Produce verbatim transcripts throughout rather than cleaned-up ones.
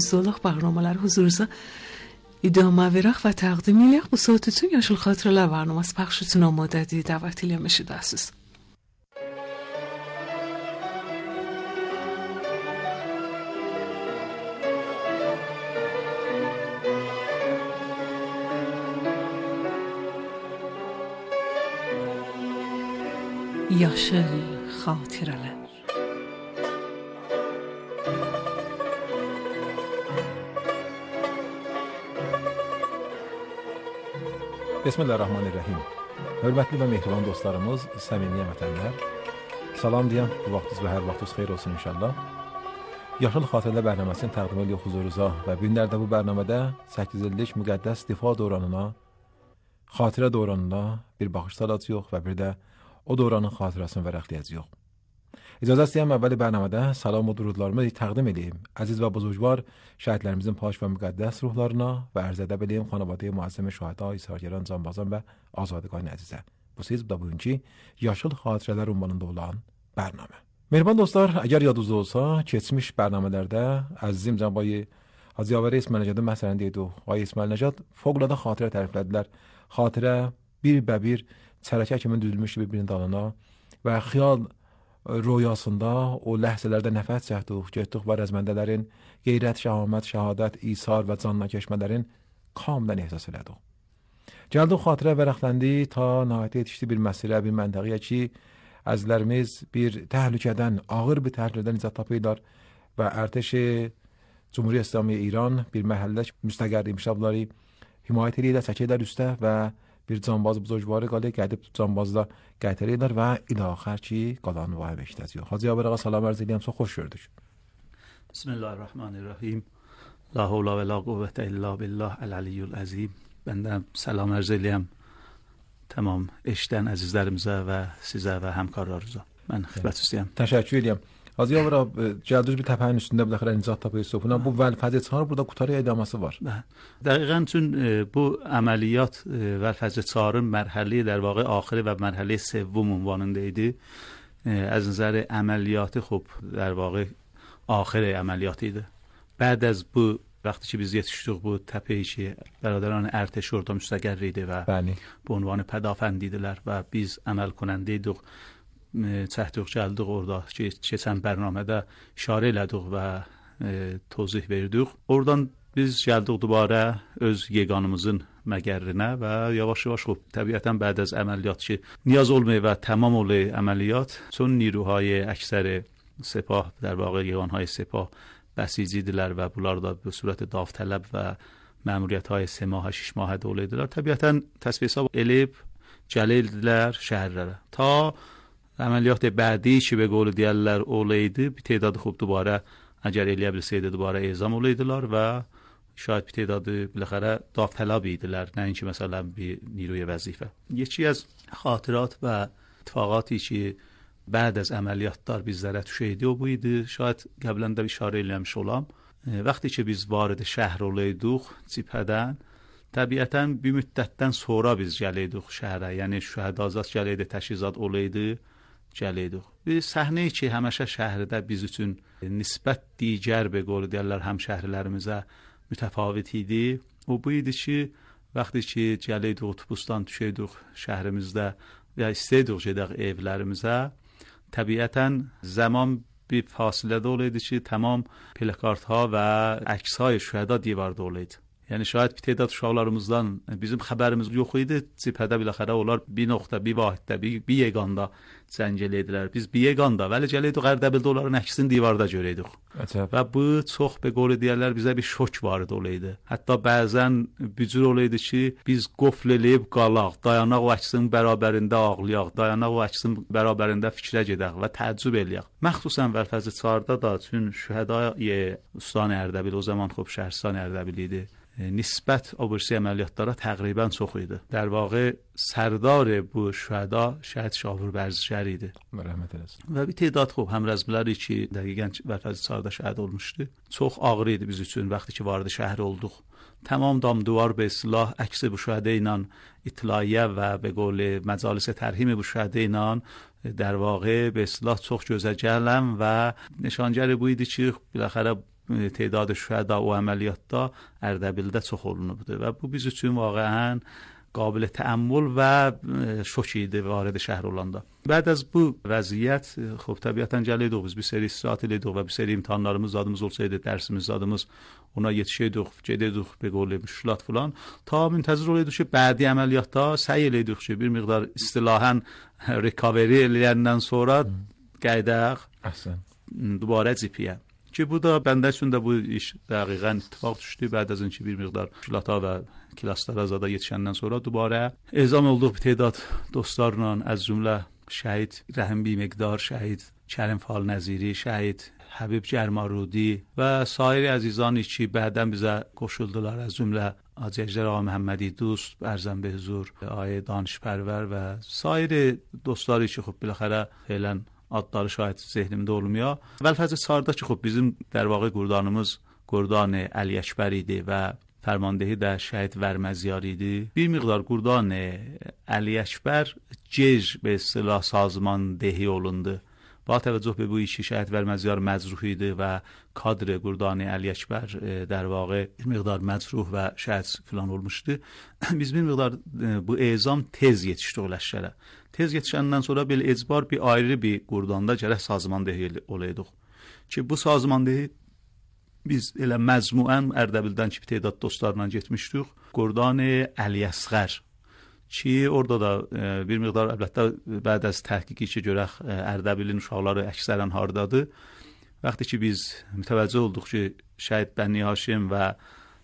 Soluk barnamalar huzurunuzda idame veraq və təqdim eləyək. Bu saat üçün Yaşıl Xatirələr barnaması pəxş üçün amadədir. Dəvət eləmişsiniz. Yaşıl Xatirələr. Bismillahirrahmanirrahim. Hörmətli və mehriban dostlarımız, səmimi vətənlər, salam deyəm, bu vaxtınız və hər vaxtınız xeyir olsun inşallah. Yaşıl Xatirələr bərnaməsini təqdim edirik huzurunuza və bu günlərdə bu bərnamədə səkkiz illik müqəddəs difa dövranına, xatirə dövranına bir baxış salacağıq və bir də o dövranın xatirəsini vərəqləyəcəyik. İcazə istəyəm əvvəli bərnamədə salam və durudlarımı təqdim edeyim. Əziz və buzurgvar şəhidlərimizin pak və müqəddəs ruhlarına və ərz edə bileyim xanavadəyə müəzzəm şəhada, isargəran, canbazan və azadqan əzizə. Bu siz bu da bugünkü Yaşıl Xatirələr ünvanında olan bərnamə. Mehriban dostlar, əgər yadınızda olsa, keçmiş bərnamələrdə əzizim cənab Hacı Yavəri İsmail Nəcadın məsələni deydi. Ay İsmail Nəcad fövqəladə xatirə təriflədilər. Xatirə bir bəbir çərəkə kimi düzülmüş bir-birinin dalına və xiyal rüyasında o ləhzələrdə nəfəs çəkdik, getdik və rəzməndələrin qeyrət, şəhamət, şəhadət, isar və canına keçmələrin kamilən ehsas elədik. Gəldik xatirə vərəqləndi ta nəhayət yetişdi bir məsirə, bir məntəqəyə ki, əzizlərimiz bir təhlükədən, ağır bir təhlükədən nicat tapırlar və ərtəşi Cumhuriyyət İslamiyyə İran bir məhəllə müstəqər imşabları himayət edirlər, çəkirlər üstə və bir canbaz buzurgvarı qalib, gəlib canbazla gətirirlər və ilaxər ki, qalanı vay beşdəziyor. Hacı Yavər ağa salam ərz edirəm, çox xoş gördük. Bismillahirrahmanirrahim. La havla və la quvvətə illa billah əl-əliyyül əzim. Bəndən salam ərz edirəm tamam eşdən əzizlərimizə və sizə və həmkarlarınıza. Mən xidmət istəyəm. Təşəkkür edirəm. Hacı Yavər ağa, gəldiniz bir təpənin üstündə bir dəxirə nicat tapıyorsunuz. Buna bu vəlfəzə çağır, burada qutarı edaması var. Dəqiqən üçün bu əməliyyat vəlfəzə çağırın mərhəli در واقع آخری و مرحله سوم عنواننده idi. از نظر عملیاتی خب در واقع آخر عملیات idi. بعد از bu وقتی که biz yetişdik bu təpəyə ki, برادران ارتش orada müstəqər idi və bu ünvanı pədafəndidilər və biz əməl کننده idik. çəkdik, gəldik orada ki, keçən bərnamədə işarə elədik və e, tozih verdik. Oradan biz gəldik dubara öz yeganımızın məgərinə və yavaş-yavaş xub təbiətən bəd az əməliyyat ki, niyaz olmayı və tamam olayı əməliyyat çون نیروهای اکثر سپاه در واقع یگانهای سپاه بسیجیدilər və bunlar da bu surət davtələb və məmuriyyətهای سه ماه شش ماه دوله idilər. Təbiətən təsviyyə elib gəlildilər şəhərlərə. Ta عملیات بعدی که به قول دیالر اولیدی به تعداد خوب دوباره اگر الیه برسیده دوباره اعزام اولیدیlar و شاید به تعداد بالاخره داوطلبیدیlar نه اینکه مثلا به نیروی وظیفه. یکی از خاطرات و اتفاقاتی که بعد از عملیاتlar bizlərə düşəydi o bu idi. Şayad qəbləndə bir işarə eləmiş olam. Vaxtı ki biz vارد şəhər olaydık cibhədən təbiətən bir müddətdən sonra biz gələydik şəhərə. Yəni şəhədazat gələydi, təşkizat olaydı. gələydik. Bir səhnəyi ki, həmişə şəhərdə biz üçün nisbət digər به قول deyirlər həmşəhrilərimizə mütəfavit idi. O bu idi ki, vaxtı ki gələydik otobusdan düşəydik şəhərimizdə və istəydik gedək evlərimizə. Təbiətən zaman bir fasilədə olaydı ki, tamam plakartها və əkshay şühəda divarda olaydı. Yəni şayad bir تعداد uşaqlarımızdan bizim xəbərimiz yox idi. Cibhədə biləxərə onlar bir nöqtə, bir vahiddə, bir, bir yeganda zəng elədilər. Biz bir yeganda, vəli gələydik Ərdəbildə onların əksini divarda görəydik. Və bu çox be qolu deyərlər bizə bir şok vardı olaydı. Hətta bəzən bücür olaydı ki, biz qofl eləyib qalaq, dayanaq o əksin bərabərində ağlayaq, dayanaq o əksin bərabərində fikrə gedək və təəccüb eləyək. Məxsusən Vəlfəzli çarda da çün şühədای ustan Ərdəbil o zaman xub şəhərstان Ərdəbil idi. نسبت آبورسی عملیاتlara təqribən çox idi. در واقع سردار bu şühəda şəhid Şahur Bərzişər idi. Rəhmət eləsin. Və bir تعداد خوب həmrəzmiləri ki, dəqiqən Vəlfəzli çarda şəhid olmuşdu. Çox ağır idi biz üçün vaxtı ki vardı şəhər olduq. Tamam dam duvar به اصطلاح عکس bu şühədə ilə اطلاعیه و به قول مجالس ترحیم bu şühədə ilə در واقع به اصطلاح çox gözəgələm və nişancəri bu idi ki, biləxərə تعداد شهدا و عملیات‌ها اردبیلdə çox olunubdu və bu biz üçün واقعاً قابل تأمل و شوک idi وارد şəhər olanda. بعد از bu vəziyyət خب təbiətən gəlirik biz bir seri istirahat edirik və bir seri imtahanlarımız zadımız olsaydı, dərsimiz zadımız ona yetişəydik, gedirdik به قول مشکلات falan. تا منتظر oluyorduk ki, bədi əməliyyatda səy elədik ki, bir miqdar istilahan recovery eləyəndən sonra qaydaq دوباره جیپیه. ki bu da bəndə üçün də bu iş dəqiqən ittifaq düşdü. Bəd az önce bir miqdar şilata və klaslara zada yetişəndən sonra dubara ezam olduq bir tədad dostlarla, az cümlə şəhid Rəhim Bimiqdar, şəhid Kərim Fal Nəziri, şəhid Həbib Gərmarudi və sair əzizani ki, bədən bizə qoşuldular, az cümlə Hacı Ağa Məhəmmədi Dost, Ərzəm Behzur, Ayə Danışpərvər və sair dostları ki, xub biləxərə felən adları şahid zehnimdə olmuyor. Vəlfəzə Çarda ki, xub bizim در واقع qurdanımız qurdan Əli Əkbər idi və فرماندهی də şəhid Vərməziyar idi. Bir miqdar qurdan Əli Əkbər gec به اصطلاح سازماندهی olundu. با توجه به bu işi şəhid Vərməziyar məcruh idi və kadr qurdan Əli Əkbər در واقع bir miqdar məcruh və şəhid filan olmuşdu. Biz bir miqdar bu ezam tez yetişdik ləşkərə. Tez yetişəndən sonra belə ecbar bir ayrı bir qurdanda gərək sazmandehi olaydıq. Ki bu sazmandehi biz elə məzmuən Ərdəbildən ki, tədat dostlarla getmişdik. Qurdan Əli Əsğər. Ki orada da e, bir miqdar əlbəttə bəd az təhqiqi ki, görək Ərdəbilin uşaqları əksərən hardadır. Vaxtı ki biz mütəvəccüh olduq ki, şəhid Bəni Haşim və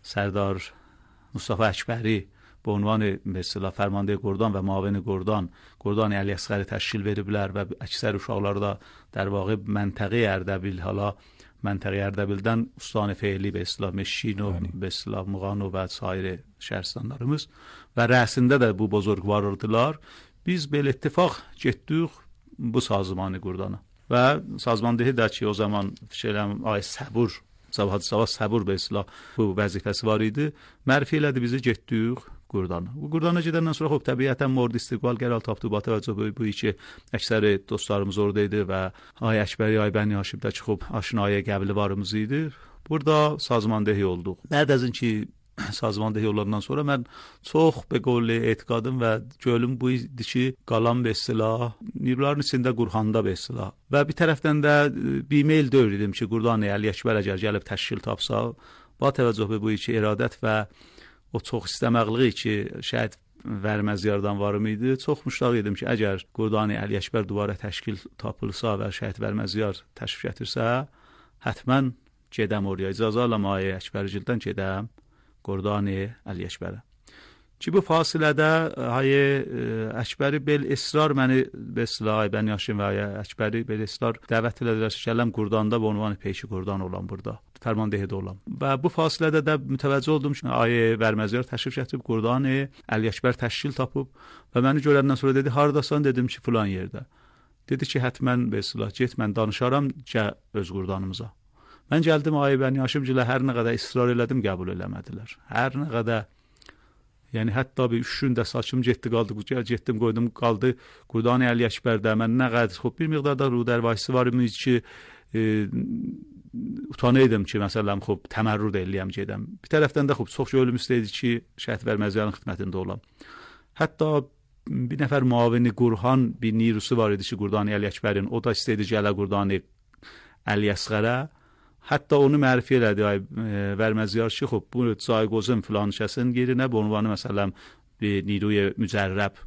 Sərdar Mustafa Əkbəri bu ünvan mesela فرمانده گردان و معاون گردان گردان علی اصغر تشکیل veriblər və əksər uşaqları da در واقع منطقه اردبیل حالا منطقه اردبیلdən ustane feili به اصطلاح مشین و به اصطلاح مغان و sair şəhərstanlarımız və rəsində də bu bozorgvardılar. Biz belə ittifaq getdik bu sazmanı qurdana və sazmandehi də ki o zaman fikirəm ay səbur Sabah sabah səbur به اصطلاح bu vəzifəsi var idi. Mərfi elədi bizi getdik Qurdana. Bu Qurdana gedəndən sonra xop təbiətən mord istiqbal qəral tapdı. Bu təvəccüh bu, bu iki əksər dostlarımız orada idi və Ay Əkbəri, Ay Bəni Haşimdə ki xop aşinaya qəbli varımız idi. Burada sazmandehi olduq. Bəd az ki sazmandehi olandan sonra mən çox be qol etiqadım və gölüm bu idi ki qalan be silah nirlərin içində Qurxanda be silah və bir tərəfdən də bir mail döyürdüm ki Qurdan Əli Əkbər əgər gəlib təşkil tapsa ba təvəccüh bu iki iradət və o çox istəməqliyi ki şəhid Vərməziyardan varım idi. Çox müştaq idim ki əgər Qurdan Əli Əkbər duvara təşkil tapılsa və şəhid Vərməziyar təşrif gətirsə həttəmən gedəm oraya icazə alam Ay Əkbərgildən gedəm Qurdan Əli Əkbərə. Ki bu fasilədə Ay Əkbəri bel israr məni besla Ay Bəni Haşim və Ay Əkbəri bel israr dəvət elədilər ki gələm Qurdanda bu ünvanı peyşi Qurdan olan burada. Fərmandehidə olan. Və bu fasilədə də mütəvəccüh oldum ki Ay Vərməziyar təşrif gətirib Qurdan Əli Əkbər təşkil tapıb və məni görəndən sonra dedi hardasan dedim ki filan yerdə. Dedi ki həttəmən besla get mən danışaram gəl öz Qurdanımıza. Mən gəldim Ay Bəni Haşimgilə hər nə qədər israr elədim, qəbul eləmədilər. Hər nə qədər yəni hətta bir üç gündə saçım getdi qaldı, getdim qoydum qaldı Qurdan Əli Əkbərdə. Mən nə qədər xop bir miqdarda rudərvayisi var imiş ki e, utanaydım ki məsələn xop təmərrüd eləyəm gedəm. Bir tərəfdən də xop çox yolum istəyirdi ki şəhid Vərməziyarın xidmətində olam. Hətta bir nəfər müavini Qurxan bir nirusu var idi ki Qurdan Əli Əkbərin, o da istəyirdi gələ Qurdan Əli Əsğərə. Hətta onu mərfi elədi Ay Vərməziyar ki xop bu Cayqozun filan şəsin yerinə bu ünvanı məsələn bir niruy mücərrəb.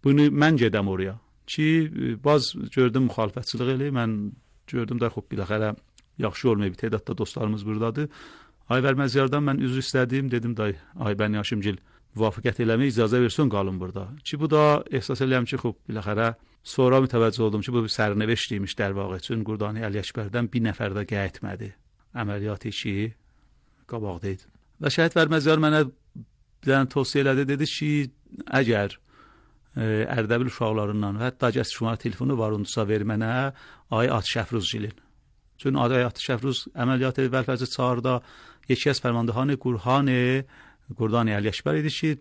Bunu mən gedəm oraya. Ki baz gördüm müxalifətçilik eləyir. Mən gördüm də xop biləxərə yaxşı olmayıb. Tədadda dostlarımız buradadır. Ay Vərməziyardan mən üzr istədim. Dedim də Ay Bəni Haşimgil müvafiqət eləmək icazə versin qalın burada. Ki bu da ehsas eləyəm ki xop biləxərə sonra mütəvəccüh oldum ki bu bir sərnəveşt imiş در واقع üçün Qurdan Əli Əkbərdən bir nəfər də qayıtmadı. Əməliyyat işi qabaqda idi. Və şəhid Vərməziyar mənə bir tövsiyə elədi, dedi ki əgər e, Ərdəbil uşaqlarından və hətta gəs şumara telefonu var onsa ver mənə Ay Atşəfruzgilin. Çün Ay Atşəfruz əməliyyat Vəlfəzə Çarda یکی از فرماندهان گروهان گردان علی اکبر idi ki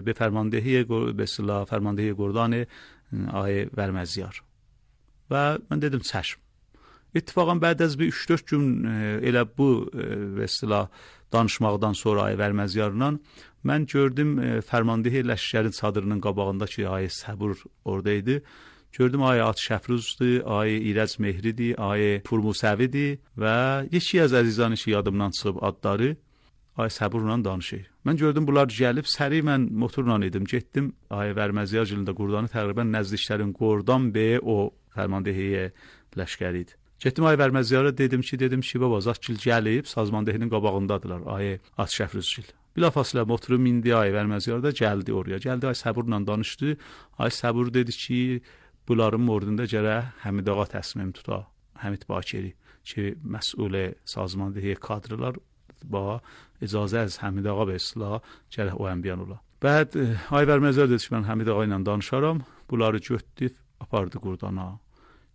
به فرماندهی به اصطلاح فرماندهی گردان آقای ورمزیار و من dedim çəşm. اتفاقا بعد از bir üç dörd gün elə bu və istilah danışmaqdan sonra ay Vərməzyarla mən gördüm fərmandehi ləşkərin çadırının qabağında ki, ay Səbur oradaydı. Gördüm ay At Şəfruzdur, ay İrəc Mehridir, ay Purmusəvidir və yeki az əzizani ki, yadımdan çıxıb adları ay Səburla danışır. Mən gördüm bunlar gəlib, səri mən motorla idim, getdim ay Vərməzyar gilində Qurdanı təqribən nəzdiklərin Qordan bəyə o fərmandehiyə ləşkəri idi. Getdim ay Vərməzyara dedim ki, dedim ki, baba Zatgil gəlib, sazmandehinin qabağındadılar, ay At Şəfruzgil. Bilafasılə motorum indi ay Vərməzyar da gəldi oraya. Gəldi ay Səburla danışdı. Ay Səbur dedi ki, bunların mordunda gərək Həmid ağa təsmim tuta. Həmid Bakiri ki, məsul sazmandehi kadrlar ba icazə az Həmid ağa və islah gərək o ənbiyan ola. Bəd ay Vərməzyar dedi ki, mən Həmid ağa ilə danışaram. Bunları götdü, apardı Qurdana.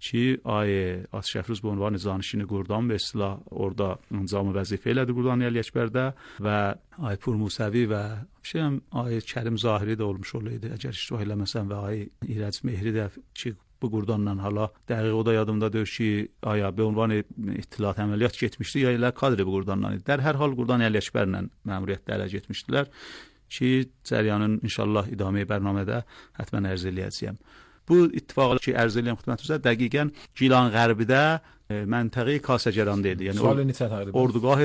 Ki, ay At Şəfruz bu ünvan zanişini Qurdan və islah orada incamı vəzifə elədi Qurdan Əli Əkbərdə və ay Purmusəvi və şeyəm ay Kərim Zahiri də olmuş olaydı. Əgər iştirak eləməsən və ay İrəc Mehri də ki, bu Qurdanla hala dəqiq o da yadımda deyir ki, aya be ünvan ittilat əməliyyat getmişdi, ya elə kadri bu Qurdanla idi. Dər hər hal Qurdan Əli Əkbərlə məmuriyyətdə ələ getmişdilər ki, cəryanın inşallah idamə bərnamədə hətmən ərz eləyəcəyəm. Bu ittifaqı ki, ərz eləyəm xidmətinizə dəqiqən Gilan Qərbidə e, məntəqi Kasəcəranda idi. Yəni salı neçə təqribən? Ordugah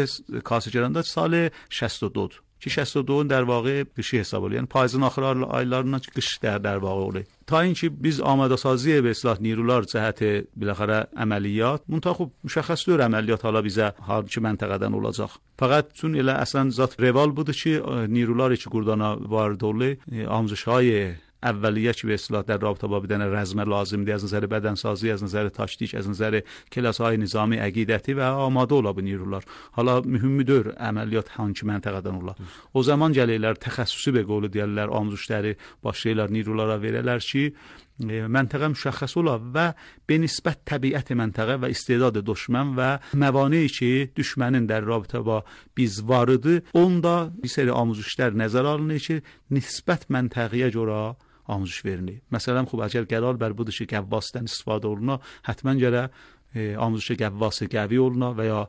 Kasəcəranda salı şəst و دو ki, şəst و دو در واقع qışı hesab olur. Yəni payızın axır aylarından qış der در واقع olur. Ta inki biz amadasazı və islah nirular cəhəti biləxərə əməliyyat, muntaxub müşəxəs deyir əməliyyat hala bizə hansı məntəqədən olacaq. Fəqət çün elə əslən zat reval budur ki, nirular ki, Qurdana vardı olur, amzuşay اولیه که به اصطلاح در رابطه با بدن رزمه لازم دی از نظر بدنسازی، از نظر تاکتیک، از نظر کلاس‌های نظامی عقیدتی و آماده ola bu نیروlar. Hala mühümdür əməliyyat hansı məntəqədən ola. O zaman gəlirlər təxəssüsü be qolu deyirlər, amzuşları başlayırlar nirulara verələr ki, məntəqə müşəxəs ola və benisbət təbiət məntəqə və istedad düşmən və məvani ki, düşmənin در رابطه با biz varıdı, onda bir seri amuzuşlar nəzər alınır ki, nisbət məntəqəyə görə amzuş verilir. Məsələn, xub əgər qərar bər budur ki, qəvvasdan istifadə oluna, həttmən gərək amuzuşu qəvvası qəvi oluna və ya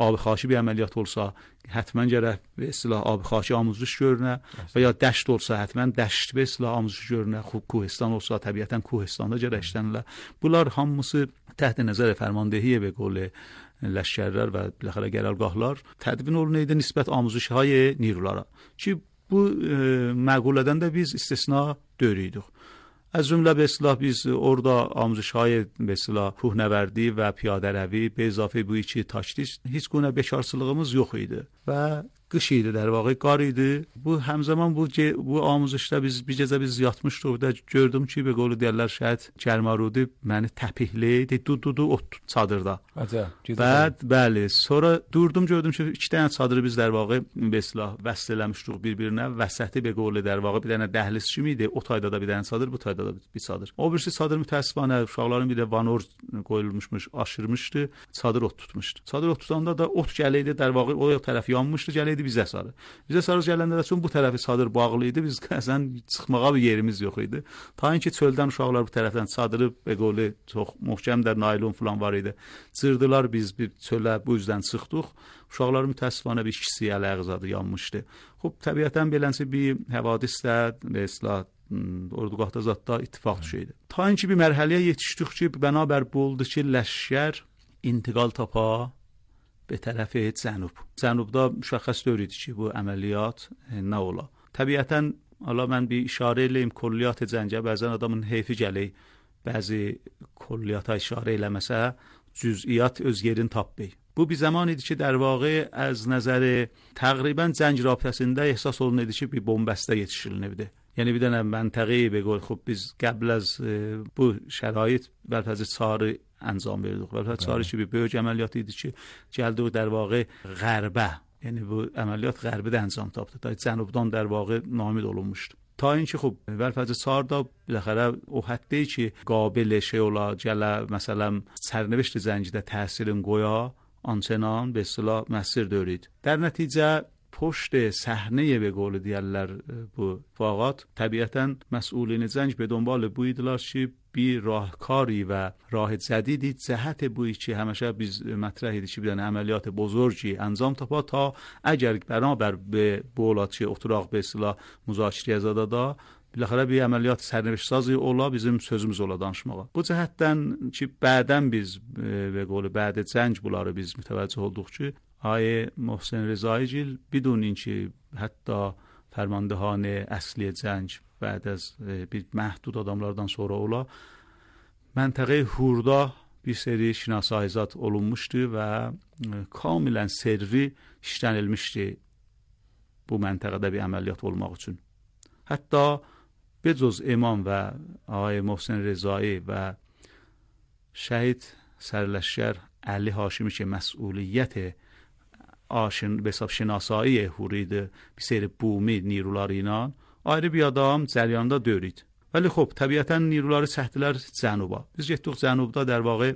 abi xaşi bir əməliyyat olsa, həttmən gərək və istilah abi xaşi amuzuş görünə və ya dəşt olsa, həttmən dəşt və istilah amuzuş görünə, xub Kuhistan olsa, təbiətən Kuhistanda gərək işlənirlər. Bunlar hamısı təhت nəzər fərmandehiyə və qolu ləşkərlər və biləxərə qərargahlar tədvin olunaydı nisbət amuzuşهای نیروlara. Ki, bu e, məqulədən də biz istisna dörüydük. از جمله به اصطلاح biz orada آموزش‌های به اصطلاح کوهنوردی و پیاده‌روی به اضافه به چی تاکتیک هیچ گونه bekarçılığımız yox idi və qış idi, در واقع qar idi. Bu həmzaman bu bu amuzuşda biz bir gecə biz yatmışdıq və gördüm ki, be qolu deyirlər şəhid Kərmarudi məni təpihləydi, dududu o çadırda. Acə. Bəd, bəli. Sonra durdum gördüm ki, iki dənə çadırı biz در واقع به اصطلاح vəsl eləmişdik bir-birinə. Vəsəti be qolu در واقع bir dənə dəhliz kimi idi. O tayda da bir dənə çadır, bu tayda da bir çadır. O birisi çadır mütəəssifانه uşaqların bir də vanor qoyulmuşmuş, aşırmışdı. Çadır ot tutmuşdu. Çadır ot tutanda da ot gələydi, در واقع o tərəf yanmışdı, gələydi bizə sarı. Bizə sarı gələndə də çün bu tərəfi çadır bağlı idi. Biz əsən çıxmağa bir yerimiz yox idi. Ta ki çöldən uşaqlar bu tərəfdən çadırı be qolu çox möhkəmdir, naylon falan var idi. Cırdılar, biz bir çölə bu üzdən çıxdıq. Uşaqların mütəəssifانه bir ikisi əl-ayağızadı yanmışdı. Xub təbiətən beləncə bir həvadis də və islah ordugahda zatda ittifaq düşeydi. Ta ki bir mərhələyə yetişdik ki, bənabər bu oldu ki, ləşkər intiqal tapa به طرف جنوب. جنوبda müşəxəs deyildi ki, bu əməliyyat nə ola. Təbiətən Allah mən bir işarə eləyim külliyyat cəngə bəzən adamın heyfi gəlir. Bəzi külliyyata işarə eləməsə cüz'iyyat öz yerini tapmır. Bu bir zaman idi ki, در واقع از نظر تقریبا جنگ رابطəsində ehsas olunurdu ki, bir bombəstə yetişilinirdi. Yəni bir dənə məntəqəyə be qol xub biz qəbl az bu şərait vəlfəzi çarı انجام verdik. Və çarı ki, bir böyük əməliyyat idi ki, gəldik در واقع qərbə. Yəni bu əməliyyat qərbidə انجام tapdı. Da cənubdan در واقع namid olunmuşdu. Ta اینکه خب vəlfəzi çarda biləxərə o həddə ki, qabil şey ola, gələ məsələn sərnişt zəngidə təsirin qoya, ançenan به اصطلاح məsir dörüyd. در nəticə پشت صحنه به قول دیالر bu fağat təbiətən məsulini zəng به دنبال bu idilər ki, bir راهکاری و راه جدیدی جهت بوی چی همیشه biz مطرح idi چی بدن عملیات بزرگی انجام تاپا تا اگر بنابر به بولاتçı oturaq به اصطلاح müzakirəyə zadada biləxərə bir əməliyyat sərnişin sazı ola bizim sözümüz ola danışmağa. Bu cəhətdən ki bədən biz və qolu bədə cəng bunları biz mütəvəccüh olduq ki آقای محسن رضایی‌گil بدون اینکه حتی فرماندهان اصلی جنگ بعد از bir محدود adamlardan sonra ola منطقه هوردا bir seri şinasayizat olunmuşdu və kamilən servi işlənilmişdi bu məntəqədə bir əməliyyat olmaq üçün. Hətta becuz imam və ağay Mohsen Rezai və şəhid sərləşkər Əli Haşimi ki məsuliyyət aşın ve hesab şinasایی هورید bir seri bumi نیروları ilə ayrı bir adam cəryanında döyürdü. Vəli xop, təbiətən نیروları çəkdilər cənuba. Biz getdik cənubda در واقع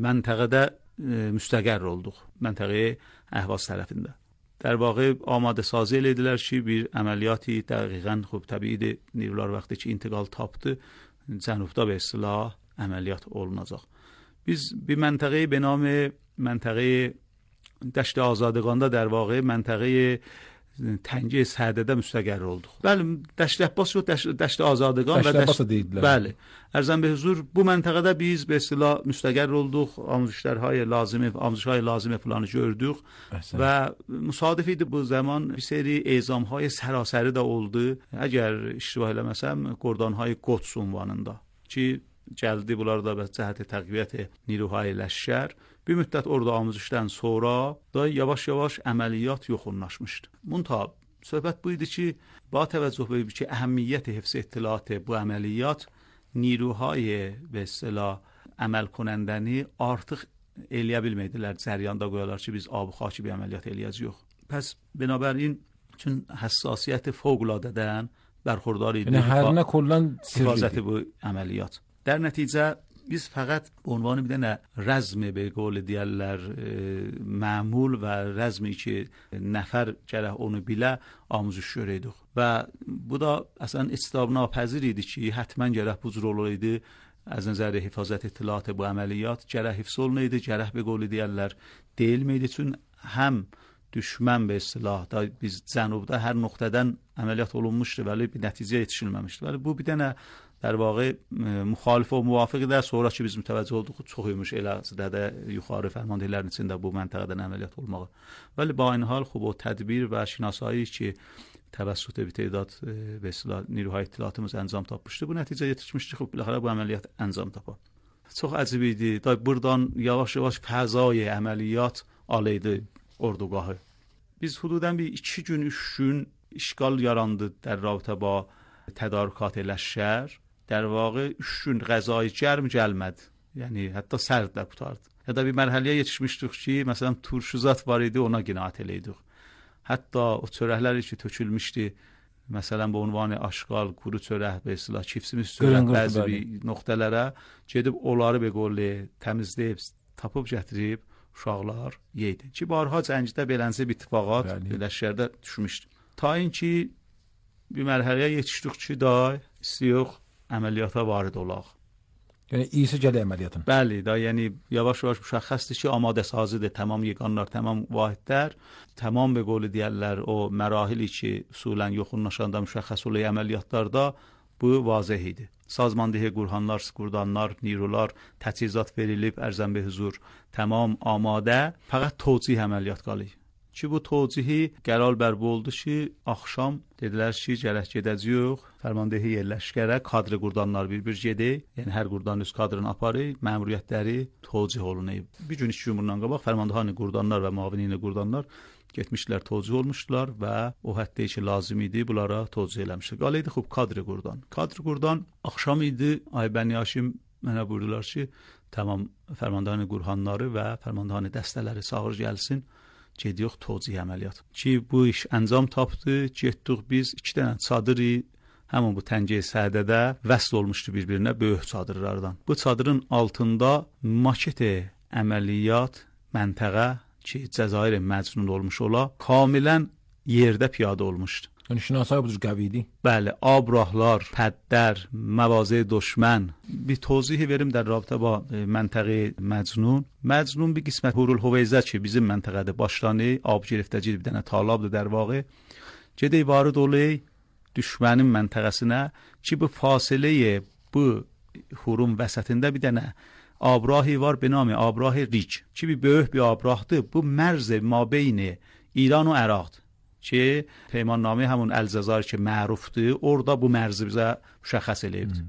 məntəqədə e, müstəqər olduq. Məntəqəyə Əhvaz tərəfində. در واقع آماده سازی elədilər ki bir əməliyatı dəqiqən xop təbiidir نیروlar vaxtı ki intiqal tapdı cənubda به اصطلاح əməliyyat olunacaq. Biz bir məntəqəyi به نام منطقه دشت آزادگاندا در واقع منطقه تنگه سعدده müstəqər olduq. Bəli, Dəşt Əbbas yox, Dəşt Azadəgan və Dəşt deyillər. Bəli. Ərzən be huzur bu məntəqədə biz به اصطلاح müstəqər olduq. آموزش‌های لازمه، آموزش‌های لازمه فلانı gördük və müsadif idi bu zaman bir seri ezam‌های sərasəri də oldu. Əgər iştibah eləməsəm, Qordanhay Qods ünvanında ki gəldi bunlar da və cəhət təqviyyət نیروهای لشکر bir müddət orada amuzuşdan sonra da yavaş-yavaş əməliyyat yoxunlaşmışdı. Munta söhbət bu idi ki, با توجه به که اهمیت حفظ اطلاعات bu əməliyyat نیروهای به اصطلاح əməl کنندنی artıq eləyə bilmədilər. Cəryanda qoyarlar ki, biz ab xaki bir əməliyyat eləyəcəyik. Pəs binabərin üçün həssasiyyət fövqəladadən bərxurdar idi. Yəni hər nə kollan sirri bu əməliyyat. در نتیجه biz fəqət عنوان bir dənə rəzmi به قول deyərlər məmul və rəzmi ki nəfər gərək onu bilə amuzüş görəydik. Və bu da əslən istisna napəzir idi ki həttəmən gərək bu cür olaydı. از نظر حفاظت اطلاعات bu əməliyyat gərək hifz olunaydı, gərək به قول deyərlər deyilməydi. Çün həm düşmən به اصطلاح da biz cənubda hər nöqtədən əməliyyat olunmuşdu vəli bir nəticə yetişilməmişdi. Vəli bu bir dənə در واقع مخالف و موافق در sonra ki biz mütəvəccüh olduq çox imiş elə də yuxarı fərmandehlərin içində bu məntəqədən əməliyyat olmağı. Vəli با این حال خوب و تدبیر و شناسایی ki توسط bir تعداد به اصطلاح نیروهای اطلاعاتımız انجام tapmışdı. Bu nəticə yetişmişdi. Xub biləxərə bu əməliyyat انجام tapa. Çox əcib idi. Da buradan yavaş-yavaş fəzai əməliyyat alaydı ordugahı. Biz hududan bir iki gün, üç gün işgal yarandı در رابطه با تدارکات لشکر. در واقع üç gün غذای گرم gəlmədi. Yəni hətta sərd də qutardı. Ya da bir mərhələyə yetişmişdik ki, məsələn turşuzat var idi, ona qinaət eləydik. Hətta o çörəklər ki tökülmüşdü, məsələn bu ünvanı aşqal, quru çörək, və islah çipsimiz çörək bəzi bir nöqtələrə gedib onları be qolli təmizləyib, tapıb gətirib uşaqlar yeydi. Ki barha cəngdə belənsə bir ittifaqat lişkərdə düşmüşdü. Ta inki bir mərhələyə yetişdik ki, da istiyox əməliyyata varid olaq. Yəni iyisi gələ əməliyyatın. Bəli, da yəni yavaş-yavaş müşəxxəsdir ki, amadə sazıdır, tamam yeganlar, tamam vahidlər, tamam be qolu deyərlər o mərahili ki, usulən yoxunlaşanda müşəxxəs olay əməliyyatlarda bu vazih idi. Sazmandehi qurhanlar, skurdanlar, nirular, təchizat verilib, ərzən be huzur, tamam amadə, fəqət tocih əməliyyat qalır. Ki bu توجیهی qərar bərb oldu ki, axşam dedilər ki, gərək gedəcəyik, fərmandehi yerləşkərə kadr qurdanlar bir-bir gedək, yəni hər qurdan öz kadrını aparır, məmuriyyətləri توجیه olunayıb. Bir gün iki gün bundan qabaq fərmandehi qurdanlar və müavini qurdanlar getmişlər, توجیه olmuşdular və o həddə ki, lazım idi, bunlara توجیه eləmişlər. Qalıydı xub kadr qurdan. Kadr qurdan axşam idi, Ay Bəni Haşim mənə buyurdular ki, tamam fərmandehi qurhanları və fərmandehi dəstələri çağır gəlsin. Gediyox توجیه əməliyyat. Ki bu iş əncam tapdı, getdik biz iki dənə çadırı həmin bu təngə sədədə vəsl olmuşdu bir-birinə böyük çadırlardan. Bu çadırın altında maket əməliyyat məntəqə ki Cəzair məcnun olmuş ola, kamilən yerdə piyada olmuşdu. یعنی شناسای بزرگویدی. بله، آب راهلار، پدر، مواضع دشمن. بی توضیحی بریم در رابطه با منطقه مجنون. مجنون به قسمت هورالهویزه چی bizim منطقه başlanı آب گرفتگی bir dənə talabdır در واقع. Gedək varı dolu düşmənin məntəqəsinə ki bu fasiləyə bu hurun vəsətində bir dənə آبراهی var به نام آبراه ریج که bir böyük bir آبراهdır. Bu مرز مابین ایران و عراق که پیمان نامه همون الجزایر که معروفdır orada bu mərzi bizə müşəxəs eləyibdir.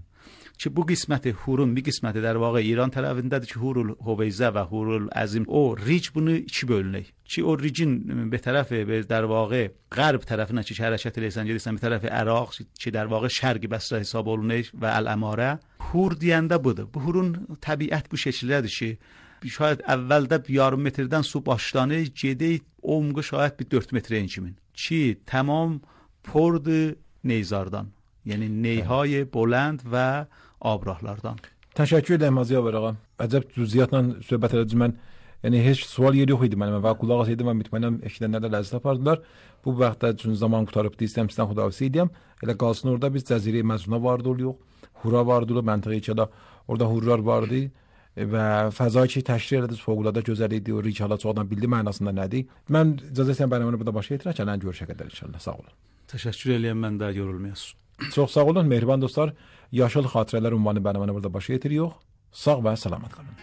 Ki bu qisməti hurun bir qisməti در واقع İran tərəfindədir ki Hurul Huveyzə və Hurul Azim. O ric bunu iki bölünək. Ki o ricin به طرف در واقع غرب tərəfinə ki hərəkət eləyirsən gedirsən bir tərəfi Əraq ki در واقع şərqi Bəsrə hesab olunur və Əl-Əmarə. Hur deyəndə budur. Bu hurun təbiət bu şəkildədir ki şayad əvvəldə yarım metrdən su başlanır gedək umğu şayad bir dörd metrə kimin. Ki tamam پرد نیزاردان یعنی نیهای بلند و آبراهلاردان. Təşəkkür edirəm Hacı Yavər ağa. Əcəb cüziyyatla söhbət elədim mən. Yəni heç sual yeri yox idi mənim və qulaq asaydım mən mütmənnəm eşidənlər də ləzzət apardılar. Bu vaxtda üçün zaman qutarıb istəyirəm sizdən xudahafizə edeyim. Elə qalsın orada biz Cəzirə Məcnuna vardı oluyor. Hura vardı o məntəqəyə ki orada hurlar vardı və fəzai ki təşkil elədi fövqəladə gözəl idi. O rik hala çoxdan bildi mənasında nədir. Mən icazə istəyirəm bərnaməni burada başa yetirək. Gələn görüşə qədər inşallah. Sağ olun. Təşəkkür edirəm mən də yorulmayasınız. Çox sağ olun mehriban dostlar. Yaşıl xatirələr ünvanı bərnaməni burada başa yetiririk. Sağ və salamat qalın.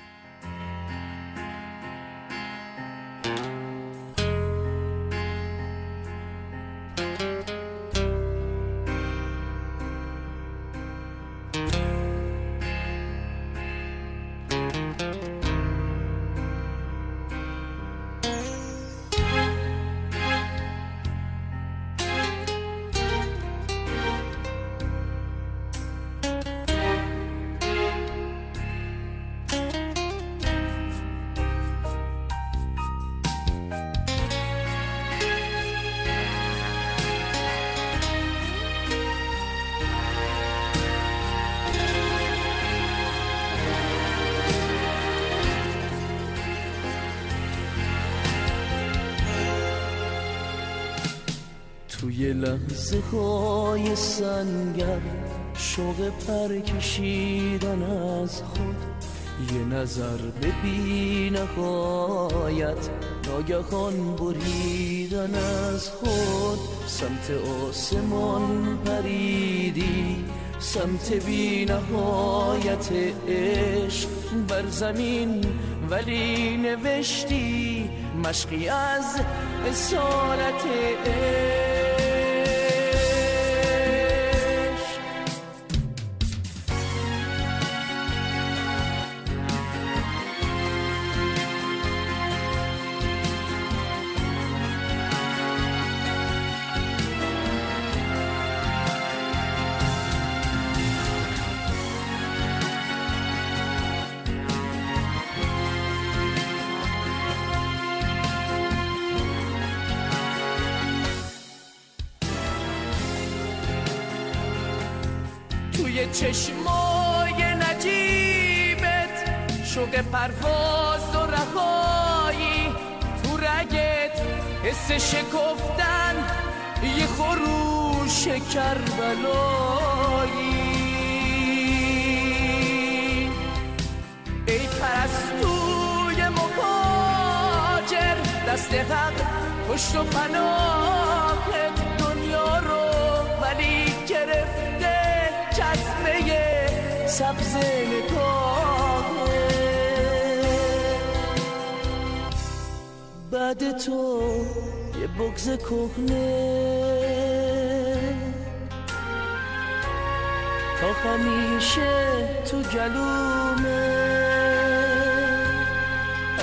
توی لحظه های سنگر شوق پر کشیدن از خود یه نظر به بی نهایت ناگهان بریدن از خود سمت آسمان پریدی سمت بی نهایت عشق بر زمین ولی نوشتی مشقی از اسارت عشق توی چشمای نجیبت شوق پرواز و رهایی تو رگت حس شکفتن یه خروش کربلایی ای پرستوی مهاجر دست حق پشت و پناهت دنیا رو ولی گرفته چشمه سبز نگاهه بعد تو یه بغض کهنه تا همیشه تو گلومه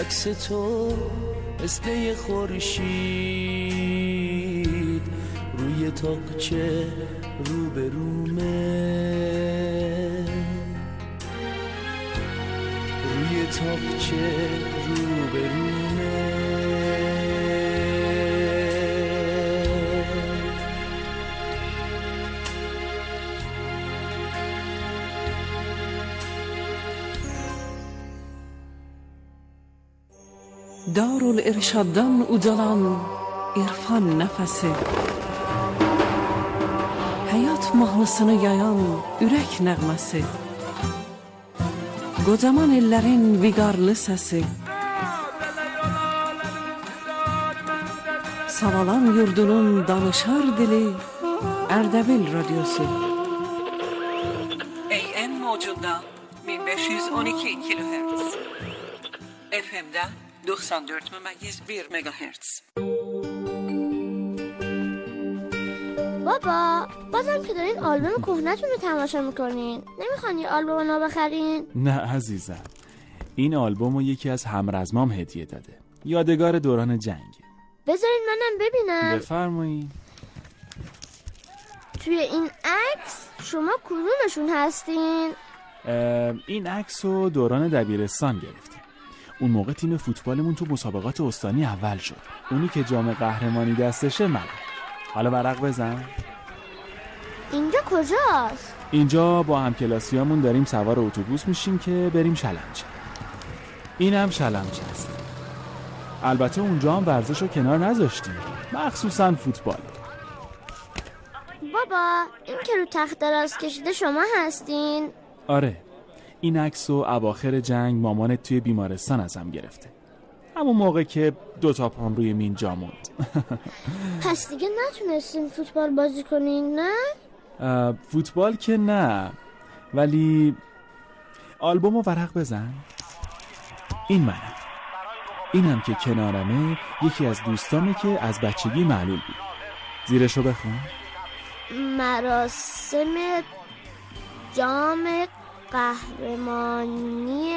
عکس تو مثل یه خورشید روی تاقچه رو به رومه روی تاقچه رو به رومه دارالارشادان اودالان عرفان نفسه Qanad mahnısını yayan ürək nəğməsi, qocaman ellərin viqarlı səsi, Savalan yurdunun danışar dili, Ərdəbil radyosu. A M mocunda bin beş yüz on iki kilohertz, F M'da doksan dört ممیز bir megahertz. بابا بازم که دارین آلبوم کهنه‌تون رو تماشا میکنین، نمیخوان یه آلبوم نو بخرین؟ نه عزیزم، این آلبوم رو یکی از همرزمام هدیه داده، یادگار دوران جنگ. بذارین منم ببینم. بفرمایید. توی این عکس شما کدومشون هستین؟ این عکس رو دوران دبیرستان گرفتیم. اون موقع تیم فوتبالمون تو مسابقات استانی اول شد. اونی که جام قهرمانی دستشه منم. حالا ورق بزن. اینجا کجاست؟ اینجا با همکلاسیامون داریم سوار اتوبوس میشیم که بریم شلمچه. اینم شلمچه است. البته اونجا هم ورزش رو کنار نذاشتیم، مخصوصا فوتبال. بابا این که رو تخت دراز کشیده شما هستین؟ آره، این عکس رو اواخر جنگ مامانت توی بیمارستان ازم گرفته، همون موقع که دوتا پام روی مین جا موند. پس دیگه نتونستین فوتبال بازی کنین نه؟ فوتبال که نه، ولی آلبوم رو ورق بزن. این منم. اینم که کنارمه یکی از دوستامه که از بچگی معلول بود. زیرشو بخون. مراسم جام قهرمانی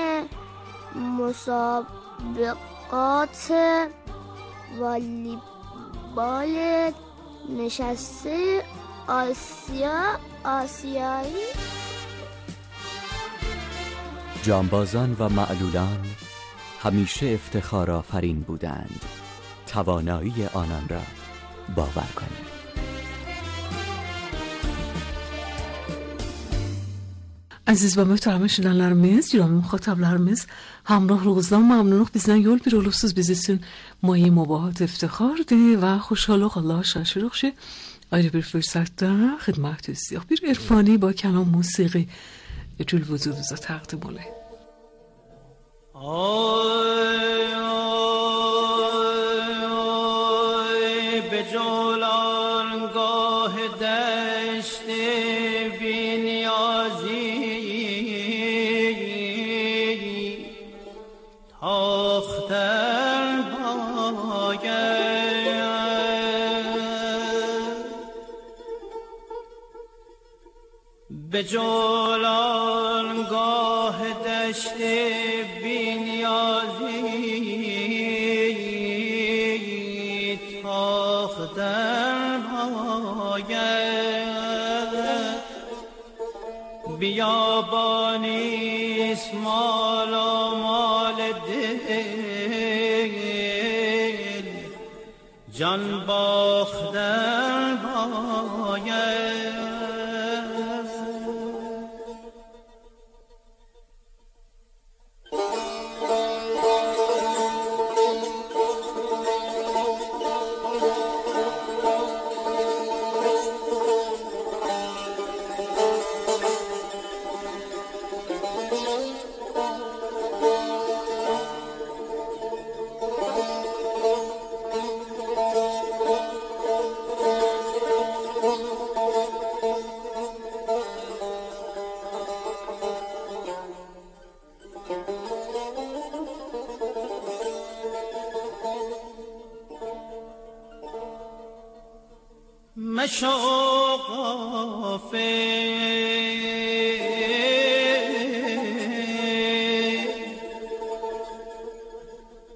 مسابقات والیبال نشسته آسیا آسیایی. جانبازان و معلولان همیشه افتخار آفرین بودند. توانایی آنان را باور کنید. Aziz və möhtərəm eşidənlərimiz, Ciromin müxatablarımız, Hamrah Roğuzdan məmnunluq bizdən yol bir olubsuz biz üçün Mayi Mubahat iftixardır və xoşalıq Allah şaşırıq ki ayrı bir fürsətdə xidmətinizdəyik. Bir irfani با کلام موسیقی جل وجودunuzə təqdim olay. آی آی آی به جولانگاه دشت بی‌نیازی تاختن باید به جولانگاه دشت بی‌نیازی تاختن باید بیابانیست مال و مال دل جان باختن باید. مشو غافل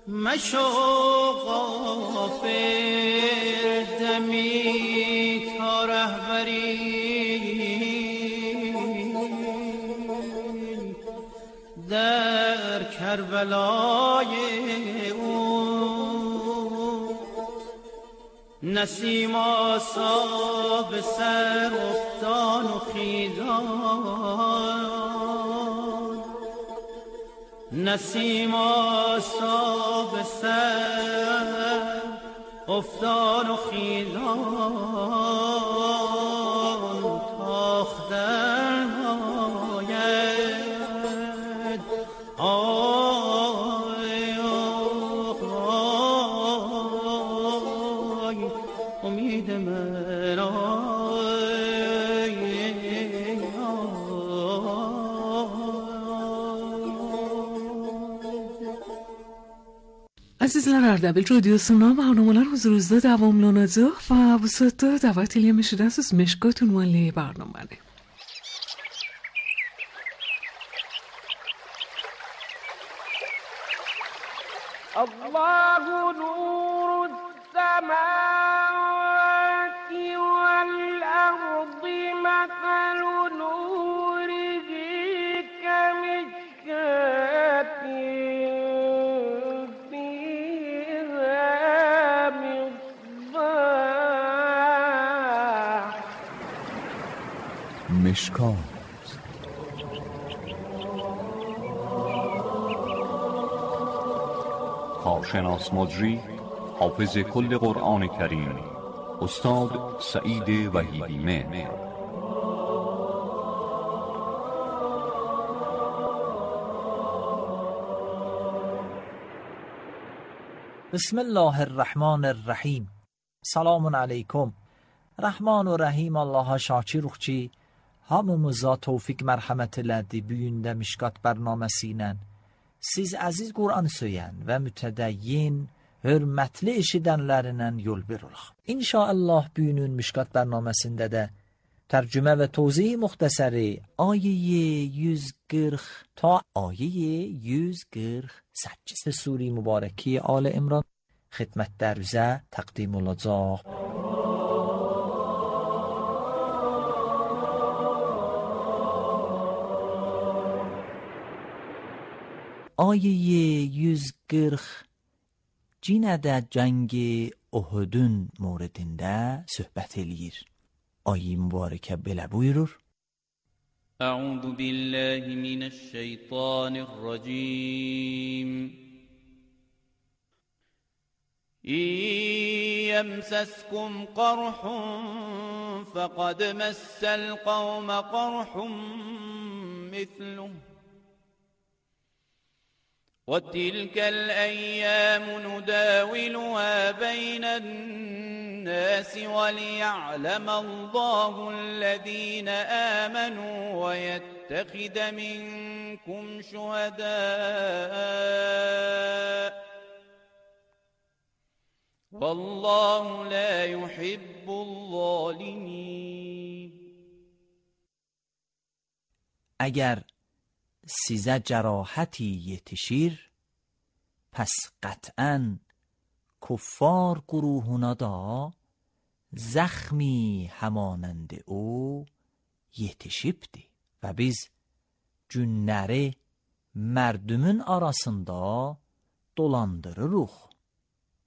مشو غافل دمی تا رهبری در کربلای نسیم آسا به سر افتان و خیزان نسیم آسا به سر افتان و خیزان تا امید من Azizlar Ardabil Radyosu'na برنامه‌lar huzurunuzda davomlanadi va bu soatda da'vat etmişsiniz Meshkot unvonli barnomani. Allahu nurus samawati wal ardi mathalu nurihi kamishkatin مشکات کارشناس مجری حافظ کل قرآن کریم استاد سعید وحیدی مهر. بسم الله الرحمن الرحیم. Selamun aleyküm. Rahman ve Rahim Allah'a şakir ruhçi, hamımıza tevfik merhamet elədi büyündə Mişkat bərnaməsi ilə. Siz əziz Qur'an söyən və mütədəyyin, hörmətli eşidənlərindən yol bir olaq. İnşallah bugünün Mişkat bərnaməsində də tərcümə və tozih muxtəsəri ayə yüz qırx ta ayə yüz qırx səkkiz sure mübarəki Al İmran xidmətlərinizə təqdim olacaq. Ayə yüz qırx cinədə cəngi Uhudun موردində söhbət eləyir. Ayə mübarəkə belə buyurur. أعوذ بالله من الشيطان الرجيم إن يمسسكم قرح فقد مس القوم قرح مثله وتلك الأيام نداولها بين الناس وليعلم الله الذين آمنوا ويتخذ منكم شهداء والله لا يحب الظالمين. اگر sizə cərahaتی yetişir, pəs qətən kuffar qurûhuna da zəxmi həmanəndi o yetişibdi və biz günləri mərdümün arasında dolandırırıq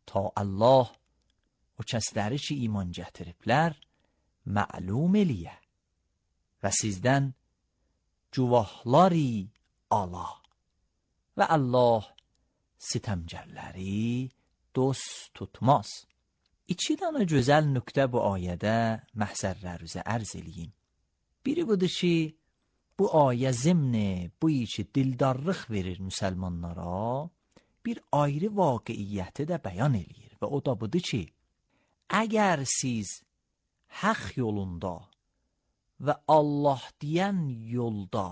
ta Allah o kəsləri ki iman gətiriblər məlum eləyə və sizdən cuvahları ala və Allah sitəmgərləri dost tutmaz. İki dənə gözəl nöqtə bu ayədə məhzərlərinizə ərz eləyim. Biri budur ki, bu ayə zimni bu ki dildarlıq verir müsəlmanlara, bir ayrı vaqiiyyəti də bəyan eləyir və o da budur ki, əgər siz haqq yolunda və Allah deyən yolda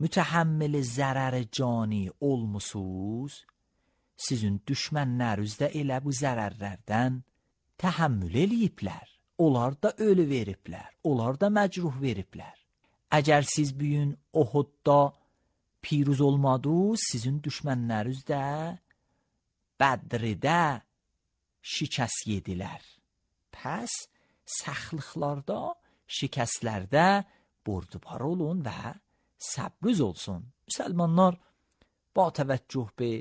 mütəhəmmil zərər cani olmusunuz, sizin düşmənlərinizdə elə bu zərərlərdən təhəmmül eləyiblər. Onlar da ölü veriblər, onlar da məcruh veriblər. Əgər siz bugün Uhudda piruz olmadınız, sizin düşmənləriniz də Bədrdə şikəst yedilər. Pəs səxlıqlarda, şikəstlərdə bordubar olun və səbriz olsun. Müsəlmanlar ba təvəccüh be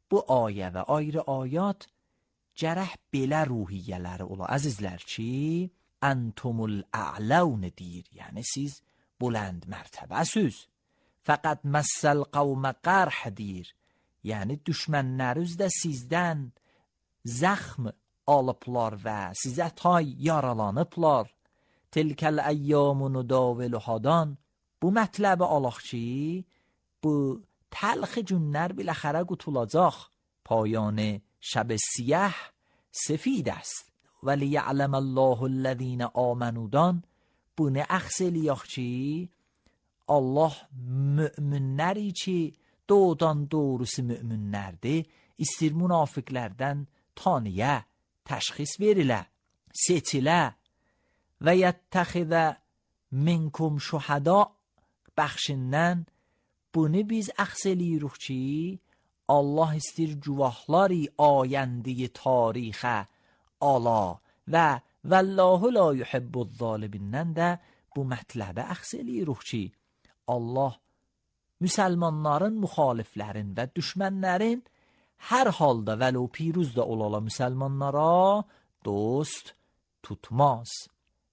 bu ayə və ayrı ayat gərək belə ruhiyyələri ola. Əzizlər ki, əntumul a'laun deyir. Yəni siz bulənd mərtəbəsiz. Fəqət məssəl qavmə qərh deyir. Yəni düşmənləriniz də sizdən zəxm alıblar və sizə tay yaralanıblar. Tilkəl əyyamunu nudaviluhadan. Bu mətləbi alaq ki, bu təlx günlər biləxərə qutulacaq. پایان شب سیاه سفید است ولیعلم الله الذین آمنودان bunu əxs eləyək ki, Allah möminləri ki, doğudan doğrusu möminlərdir, istir münafiqlərdən tanıya, təşxis verilə, seçilə və yəttəxidə minkum şuhada bəxşindən bunu biz əxs eləyirik ki, Allah istir cuvahları ayəndiyi tarixə ala və Vallahu la yuhibbuz zalimin də bu mətləbə əxs eləyirik ki, Allah müsəlmanların, müxaliflərin və düşmənlərin hər halda vəlo piruz da olala müsəlmanlara dost tutmaz.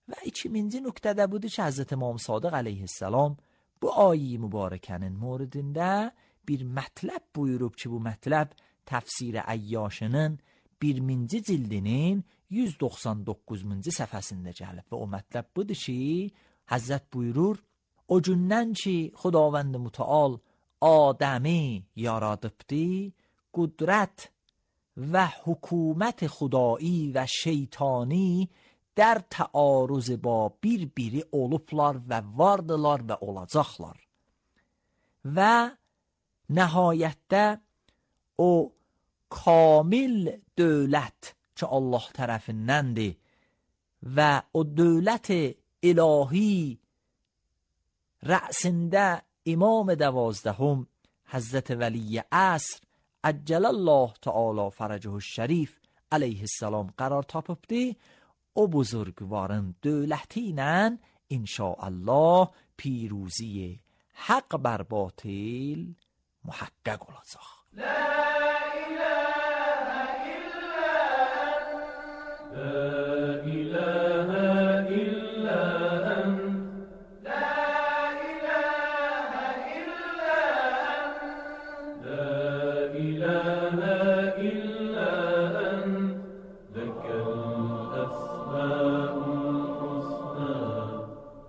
Və ikinci nöqtədə budur ki, Həzrət İmam Sadiq əleyhissalam bu ayi mübarəkənin moridində bir mətləb buyurub ki, bu mətləb təfsir Əyyashının birinci cildinin yüz doxsan doqquzuncu səhifəsində gəlib və o mətləb budur ki, Həzrət buyurur, o gündən ki, Xudavənd Mütəal Adəmi yaradıbdı, qudrət və hükümət xudai və şeytani در تعارض با bir biri olublar və vardılar və olacaqlar. Və nəhayətdə o kamil dövlət ki Allah tərəfindəndir və o dövlət ilahi rəsində imam دوازدهم Həzrət Vəli Əsr Əcələlllah Teala Fərəcəhu Şərif əleyhissalam qərar tapıbdı. O buzurgvarın dövləti ilə inşaallah پیروزی حق بر باطل محقق olacaq. لا إله إلا أنت لا إله إلا أنت لا إله إلا أنت لا إله إلا أنت لك الأسماء الحسنى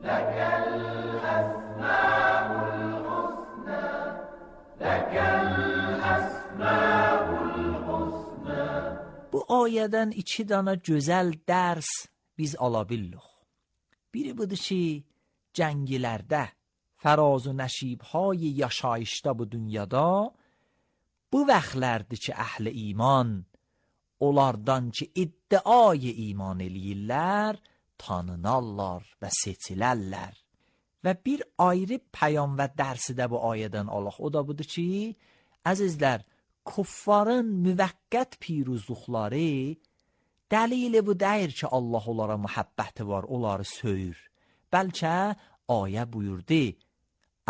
لك الأسماء الحسنى لك الأسماء الحسنى. Bu ayədən iki dana gözəl dərs biz ala bildik. Biri budur ki, cəngilərdə fəraz و nəşibهای yaşayışda bu dünyada bu vaxtlərdir ki, əhl-i iman onlardan ki, iddiayı iman eləyirlər, tanınarlar və seçilərlər. Və bir ayrı pəyam və dərsi də bu ayədən alaq. O da budur ki, əzizlər, kuffarın müvəqqət piruzluqları dəlili bu deyir ki, Allah onlara muhabbəti var, onları söyür. Bəlkə ayə buyurdu,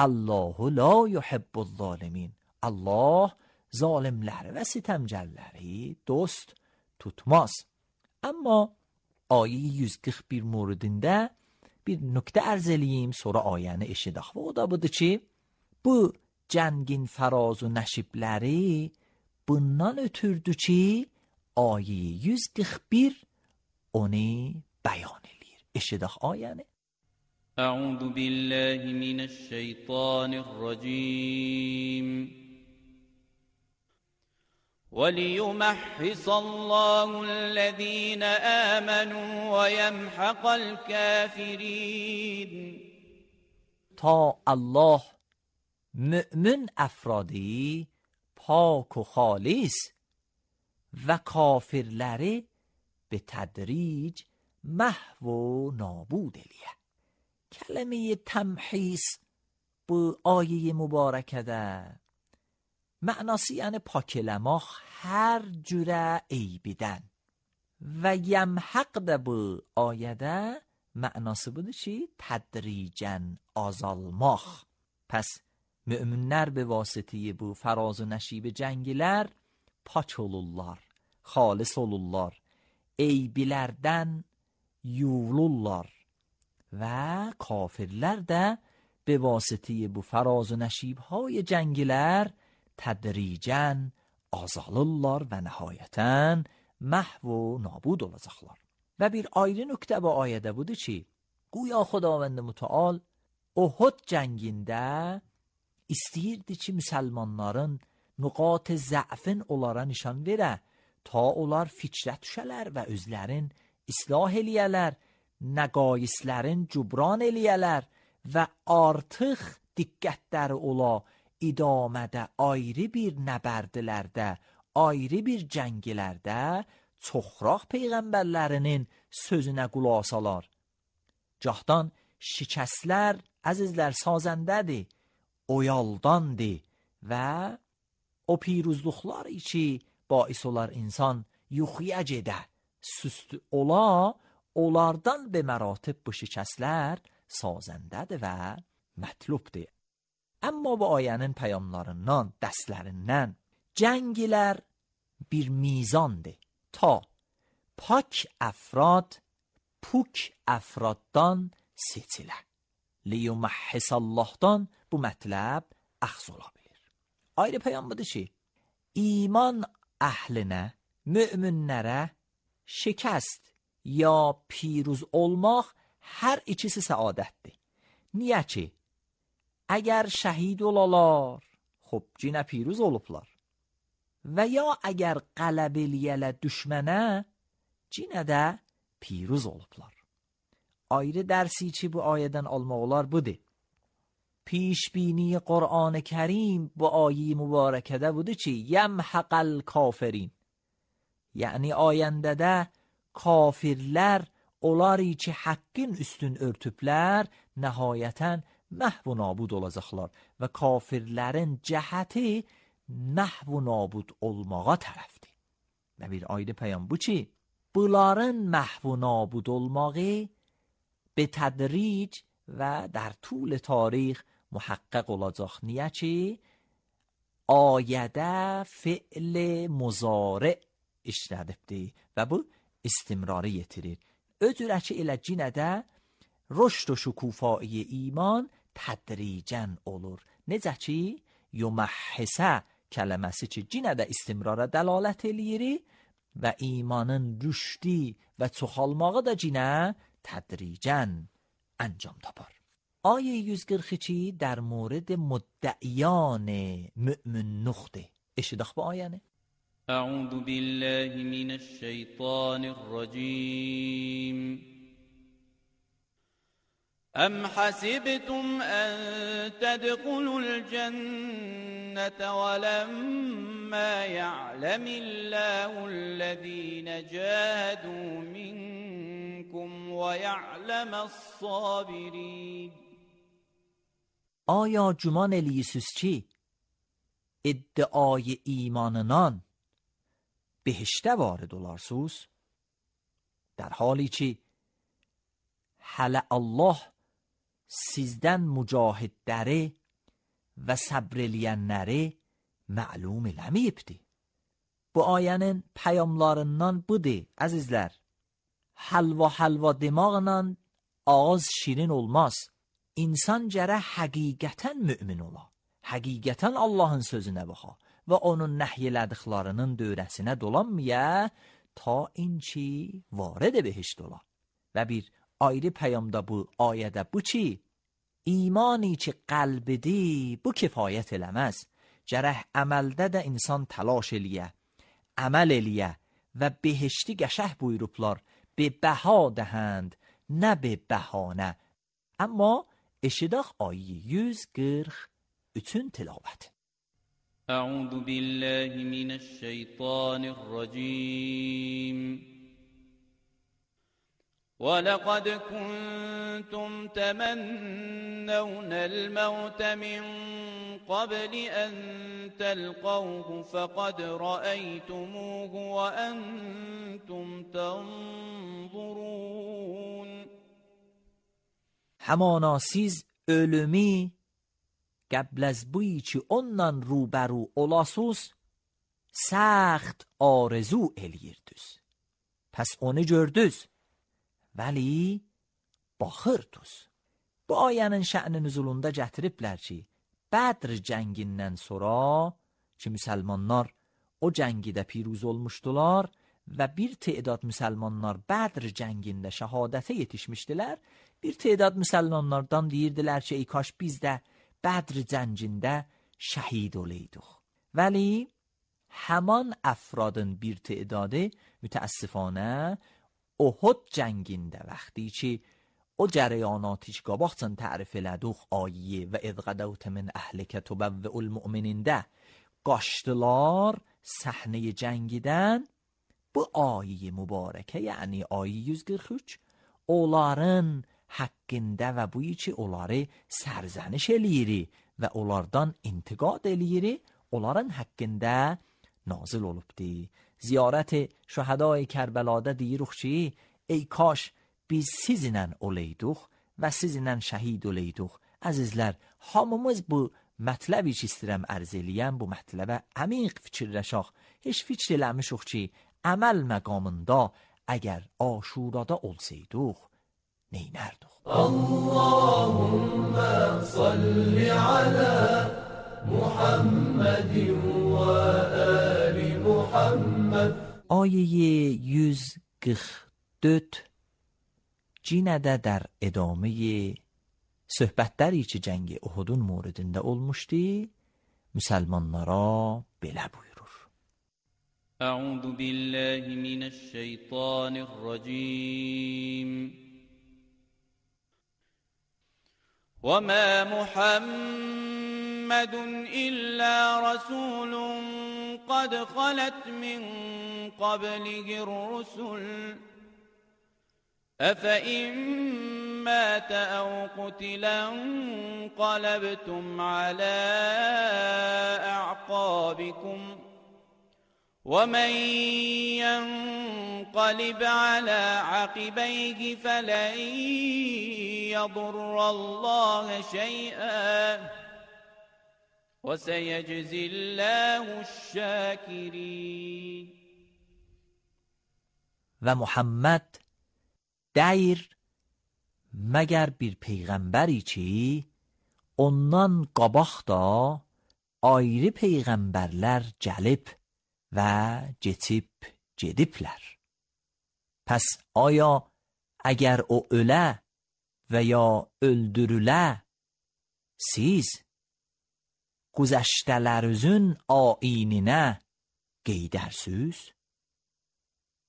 Allahu la yuhibbuz zalimin. Allah zalimləri və sitəmgərləri dost tutmaz. Amma ayə yüz qırx bir moridində bir nöqtə ərz eləyim, sonra ayəni eşidək. Və o da budur ki, bu cəngin fəraz و nəşibləri bundan ötürdü ki, ayə yüz qırx bir onu bəyan eləyir. Eşidək ayəni. أعوذ بالله من الشيطان الرجيم وليمحص الله الذين آمنوا ويمحق الكافرين. تا الله مؤمن افرادی پاک و خالص و کافرلری به تدریج محو و نابود الیه. کلمه تمحیص bu آیه مبارکه ده معناسی یعنی پاکلماخ هر جوره عیبیدن و یمحق ده bu آیه معناسی بوده چی؟ تدریجاً azalmaq. پس müminlər به واسطه bu fəraz و nəşib cəngilər pak olurlar, xalis olurlar, eybilərdən yuyulurlar və kafirlər də به واسطه bu fəraz و nəşibهای cəngilər tədricən azalırlar və nəhayətən məhv و nabud olacaqlar. Və bir ayrı nöqtə bu ayədə budur ki, güya Xudavənd Mütəal Uhud cəngində istəyirdi ki, müsəlmanların nüqat zəfin onlara nişan verə, ta onlar fikrə düşələr və özlərin islah eləyələr, nəqaislərin cubran eləyələr və artıq diqqətləri ola idamədə ayrı bir nəbərdlərdə, ayrı bir cəngilərdə çoxraq peyğəmbərlərinin sözünə qulaq asalar. Cahdan şikəslər, əzizlər, sazəndədir, oyaldandır və o piruzluqlar ki bais olar insan yuxuya gedə, süst ola, onlardan be məratib bu şikəslər sazəndədir və mətlubdir. Amma bu ayənin pəyamlarından, dərslərindən cəngilər bir mizandır ta pak əfrad puk əfraddan seçilə. Liyuməhhisallahdan bu mətləb əxz ola bilir. Ayrı pəyam budur ki, iman əhlinə, müminlərə şikəst ya piruz olmaq hər ikisi səadətdir. Niyə ki? Əgər şəhid olalar, xub cinə piruz olublar. Və ya əgər qələb eləyələ düşmənə, cinə də piruz olublar. Ayrı dərsi ki bu ayədən almaq olar budur. Pişbini Qur'an-ı Kərim bu ayi mübarəkədə budur ki, yemhaqal kafirin. Yəni ayəndədə kafirlər onları ki haqqın üstün örtüblər, nəhayətən məhv və nabud olacaqlar və kafirlərin cəhəti məhv və nabud olmağa tərəfdir. Və bir ayrı pəyam bu ki, bunların məhv və nabud olmağı به تدریج و در طول تاریخ محقق olacaq. Niyə ki ayədə fi'l muzari işlədibdir və bu istimrarı yetirir. Öcürə ki elə cinədə rüşd و şükufایی iman tədricən olur. Necə ki yuməhhisə kələməsi ki cinədə istimrara dəlalət eləyir və imanın rüşdi və çoxalmağı da cinə تدریجاً انجام tapar. آیه yüz qırx iki در مورد مدعیان مؤمن نخته. اشتداخ با آیانه. اعوذ بالله من الشیطان الرجیم. ام حسبتم ان تدخلوا الجنة ولما يعلم الله الذين جاهدوا منكم ويعلم الصابرين. آیا گمان الیسوس چی؟ ادعای ایماننان بهشته وارد olarsınız؟ در حالی که حل الله sizdən mücahidləri və səbr eləyənləri məlum eləməyibdir. Bu ayənin pəyamlarından budur, əzizlər. Halva halva demaqla ağız şirin olmaz. İnsan gərək həqiqətən mümin ola. Həqiqətən Allahın sözünə baxa və onun nəhy elədiklərinin dövrəsinə dolanmaya ta inki varədə behişt ola. Və bir ayrı pəyamda bu ayədə bu ki, imani ki qəlbidir, bu kifayət eləməz. Gərək əməldə də insan təlaş eləyə, əməl eləyə və behişti qəşəh buyurublar, be bəha dəhənd, nə be bəhanə. Amma eşidək ayı yüz qırx üçün tilavət. Əuzu billahi minəşşeytanirracim. وَلَقَدْ كُنْتُمْ تَمَنَّوْنَ الْمَوْتَ مِنْ قَبْلِ أَنْ تَلْقَوْهُ فَقَدْ رَأَيْتُمُوهُ وَأَنْتُمْ تَنْظُرُونَ. همانا siz ölümü قبل از بویی که ondan روبرو olasız سخت آرزو eləyirdiniz. Pəs onu gördünüz. Vəli baxırdınız. Bu ayənin şə'ni nüzulunda gətiriblər ki, Bədr cəngindən sonra ki, müsəlmanlar o cəngidə piruz olmuşdular və bir te'dad müsəlmanlar Bədr cəngində şəhadətə yetişmişdilər. Bir te'dad müsəlmanlardan deyirdilər ki, ey kaş biz də Bədr cəngində şəhid olaydık. Vəli həman əfradın bir te'dadı mütəəssifانه Uhud jəngində vaxtı ki o cərəyanatı ki qabaqcan tərif elədik ayə və izqədəvtə min əhlikə tubavvi'ul mu'minində qaçdılar səhnəyə cəngidən. Bu ayə mübarəkə, yəni ayə yüz qırx üç onların haqqında və bu ki onları sərzəniş eləyiri və onlardan intiqad eləyiri, onların haqqında nazil olubdi. Ziyarət şəhədai Kərbəlada deyirik ki, ey kaş biz sizinlə olayduq və sizinlə şəhid olayduq. Əzizlər, hamımız bu mətləbi ki istəyirəm ərz eləyəm, bu mətləbə əmiq fikirləşək. Heç fikir eləmişik ki, əməl məqamında əgər Aşurada olsaydıq, neynərdik? Allahümme salli ala Muhammedin və ali Muhammed. Ayəyə yüz qırx dörd cinədə در ادامه söhbətləri ki cəngi Uhudun موردində olmuşdu, müsəlmanlara belə buyurur. أعوذ بالله من الشيطان الرجيم وما محمد إلا رسول قد خلت من قبله الرسل أفإن مات أو قتل انقلبتم على أعقابكم ومن ينقلب على عقبيه فلن يضر الله شيئا وسيجزي الله الشاكرين. و محمد دیر مگر bir peyğəmbəri ki ondan qabaq da ayrı peyğəmbərlər gəlib və geçib gediblər. Pəs aya əgər o ölə və ya öldürülə, siz güzəştələrinizin aininə qeydərsiniz?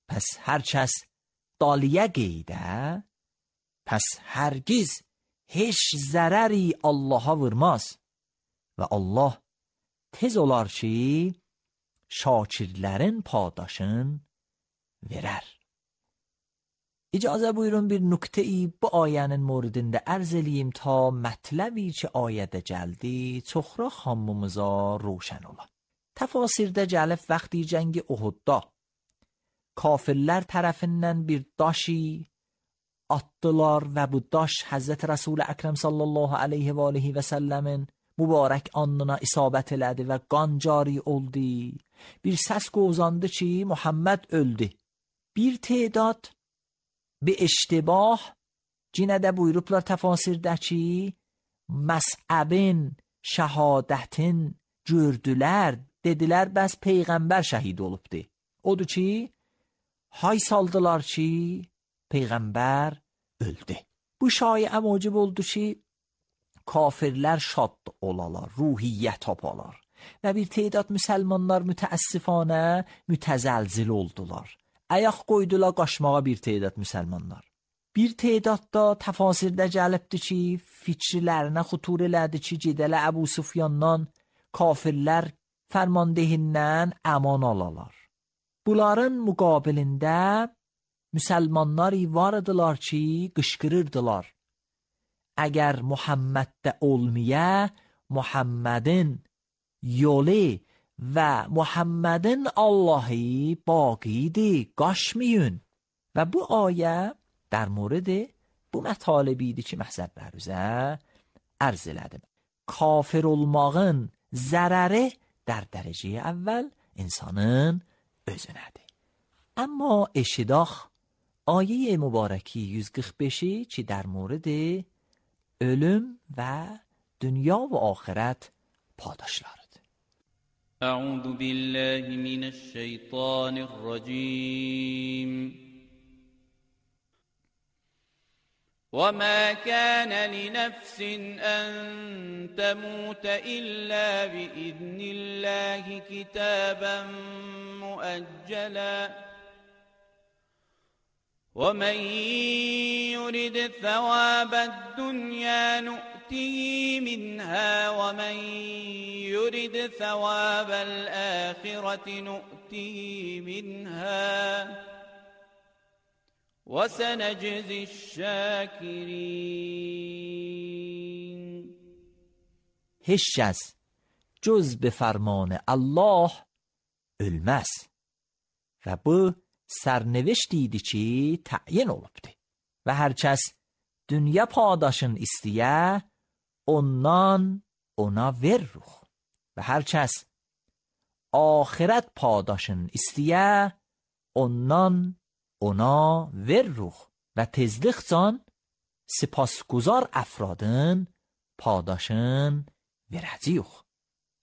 Pəs hər kəs daliyə qeydə, pəs hərgiz heç zərəri Allaha vurmaz və Allah tez olar ki şakirlərin padaşın verər. İcazə buyurun bir nüktəyi bu ayənin موردində ərz eləyim ta mətləbi ki ayədə gəldi çoxra hamımıza roşən ola. Təfasirdə gəlib vaxtı cəngi Uhudda kafirlər tərəfindən bir daşi atdılar və bu daş Həzrət Rəsul Əkrəm sallallahu aleyhi və aleyhi və səlləmin mübarək alnına isabət elədi və qan cari oldu. Bir səs qozandı ki Muhammed öldü. Bir تعداد به اشتباه cinə də buyurublar təfasirdə ki məsəbin, şəhadətin gördülər, dedilər bəs peyğəmbər şəhid olubdu. Odur ki hay saldılar ki peyğəmbər öldü. Bu şayə məcib oldu ki kafirlər şad olalar, ruhiyyət tapalar və bir تعداد müsəlmanlar mütəəssifanə mütəzəlzil oldular. Ayaq qoydular qaçmağa bir تعداد müsəlmanlar. Bir تعداد da təfasirdə gəlibdi ki fikirlərinə xutur elədi ki gedələ Əbu Sufyandan kafirlər fərmandehindən əman alalar. Bunların müqabilində müsəlmanlar var idilar ki qışqırırdılar. Əgər Muhammeddə olmaya Muhammedin yolu və Muhammedin Allahı baqidir, qaçmayın. Və bu ayə در مورد bu mətalibi idi ki məhzəblərinizə ərz elədim. Kafir olmağın zərəri در dərəcəyə əvvəl insanın özünədir. Amma eşidaq ayə mübarəki yüz qırx beşi ki در مورد ölüm və dünya və axirət padaşlarıdır. أعوذ بالله من الشيطان الرجيم وما كان لنفس أن تموت إلا بإذن الله كتابا مؤجلا ومن يرد ثواب الدنيا نؤته منها ومن يرد ثواب الآخرة نؤته منها وسنجزي الشاکرین. هیچ از جز به فرمان الله ölmez və bu sərnevişt idi ki, təyin olubdur. Və hər kəs dünya padaşın istəyə, ondan ona veririk. Və hər kəs axirət padaşın istəyə, ondan ona veririk. Və tezlikcan sipasguzar əfradın padaşın verəcəyik.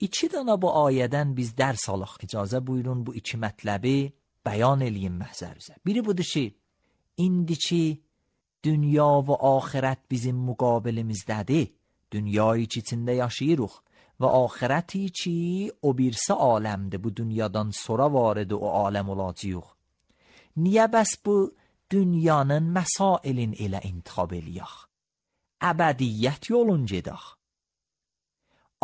İki dana bu ayədən biz dərs alaq. İcazə buyurun bu iki mətləbi bəyan eləyim məhzərimizə. Biri budur ki, indiki dünya və axirət bizim müqabilimizdədir. Dünyayı ki, içində yaşayırıq və axirəti ki, o birisi aləmdir. Bu dünyadan sonra varıdır o aləm olacaq. Niyə bəs bu dünyanın məsailin elə intixab eləyək? Əbədiyyət yolun gedək.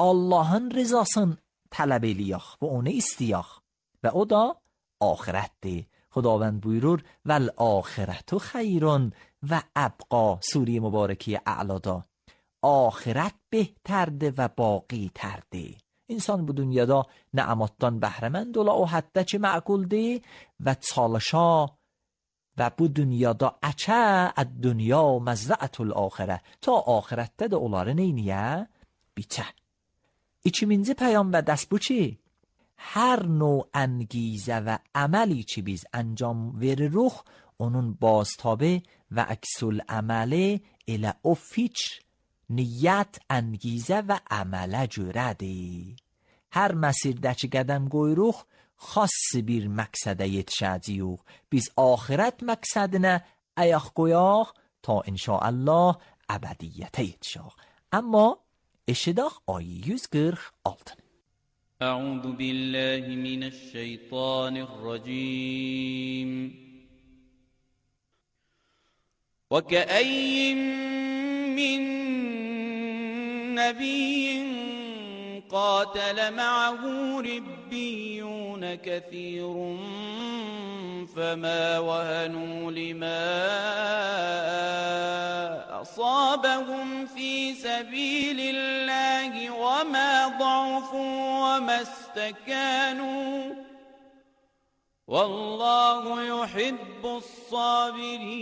Allahın rızasını tələb eləyək və onu istəyək və o da آخرتdir. خداوند buyurur والآخرة خیر و ابقا. سوره مبارکه اعلادا آخرت بهترده و باقی ترده. انسان bu dünyada نعماتdan bəhrəmənd ola o həddə ki məquldir və çalışa və bu dünyada əçə əd-dünya məzrəətul axirə ta axirətdə də onları neyniyə? Biçə. İkiminci pəyam və dəst bu ki hər növ انگیزه و عملی که biz انجام veririk onun بازتابه و عکس العمل elə o fikr, niyyət, انگیزه və əmələ görədir. Hər məsirdəki qədəm qoyuruq, xass bir məqsədə yetişəcəyik. Biz axirət məqsədinə ayaq qoyaq ta inşaallah əbədiyyətə yetişək. Amma eşidək ayı yüz qırx altı. أعوذ بالله من الشيطان الرجيم. وكأي من نبي قاتل معه ربيون كثير فما وهنوا لما أصابهم في سبيل الله وما ضعفوا وما استكانوا والله يحب الصابرين.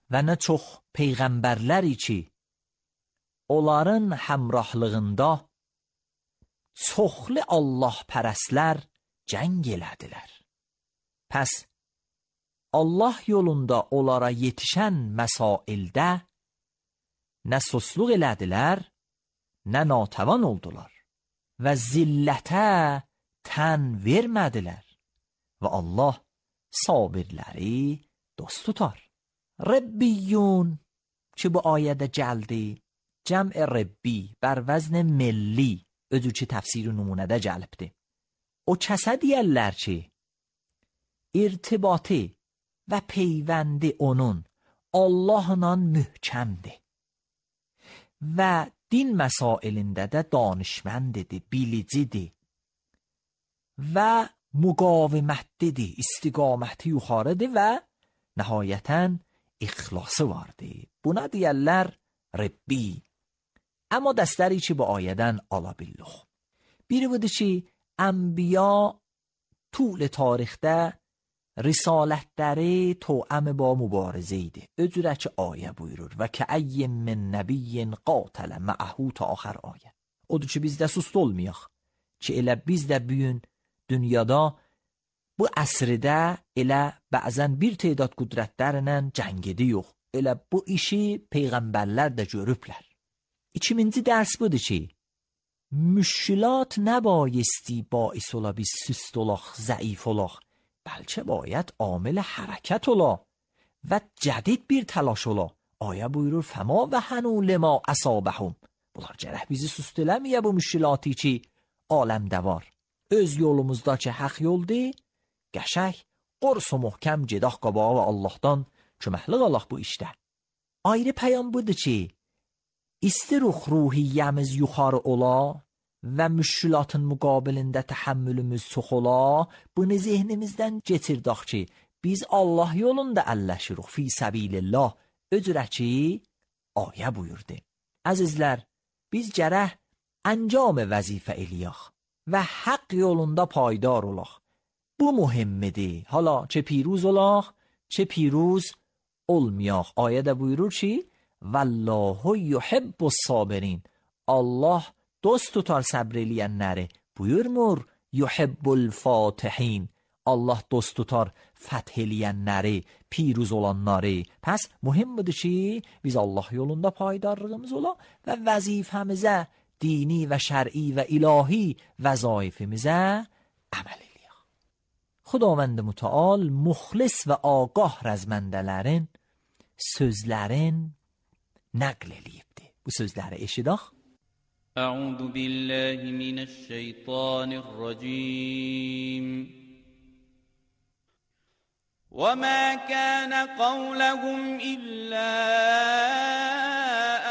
Və nə çox peyğəmbərləri ki, onların həmrahlığında çoxlu Allah pərəslər cəng elədilər. Pəs Allah yolunda onlara yetişən məsaildə nə susluq elədilər, nə natəvan oldular və zillətə tən vermədilər və Allah sabirləri dost tutar. Rəbbiyyun ki bu ayədə gəldi, cəm'i rəbbi bər vəzn milli özü ki təfsir-i numunədə gəlibdir. O kəsə deyərlər ki, irtibatı və peyvəndi onun Allahla mühkəmdir və din məsailində də danışməndidir, bilicidir və müqavimətlidir, istiqaməti yuxarıdır və nəhayətən ixlası vardır. Buna deyərlər Rəbbi. Amma dəstəri ki bu ayədən ala billuq. Biri budur ki, ənbiya طول tarixdə risalətləri toəm با mübarizə idi. Öcürə ki ayə buyurur və kəəy min nəbiyyin qatələ məəhu ta axır ayə. Odur ki biz də sust olmayaq ki elə biz də bugün dünyada bu əsrdə elə bəzən bir تعداد qüdrətlərlə cəng edirik. Elə bu işi peyğəmbərlər də görüblər. İkinci dərs budur ki, müşkilat nəbayisتی باعث ola biz süst olaq, zəif olaq, bəlkə باید عامل حرکت ola və cədid bir təlaş ola. Ayə buyurur فما وهنوا لما أصابهم. Bunlar gərək bizi süst eləməyə bu müşkilatı ki aləmdə var. Öz yolumuzda ki haq yoldur, qəşək Qors muhkam cedah qabağı və Allahdan köməklik alaq bu işdə. Ayrı pəyam budur ki, istiruq ruhiyyəmiz yuxarı ola və müşkülatın müqabilində təhəmmülümüz çox ola, bunu zehnimizdən getirdək ki, biz Allah yolunda əlləşiruq fi səbilillah. Öcürə ki, ayə buyurdu. Əzizlər, biz gərək əncam vəzifə eləyək və haqq yolunda paydar olaq. Bu mühimmidir. Hala çe پیروز olaq, çe پیروز olmayaq. Ayədə buyurur ki, Vallahu yuhibbus sabirin. Allah dost tutar səbr eləyənləri. Buyurmur, yuhibbul fatihin. Allah dost tutar fəth eləyənləri, پیروز olanları. Pəs mühim budur ki, biz Allah yolunda paydarlığımız ola və vəzifəmizə, dini və şər'i və ilahi vəzaifimizə əməl eləyək. Xudavənd mütəal muxlis və ağah rəzməndələrin sözlərin nəql eləyibdir. Bu sözləri eşidək. Əuzu billahi minəşşeytanirracim. وَمَا كَانَ قَوْلَهُمْ إِلَّا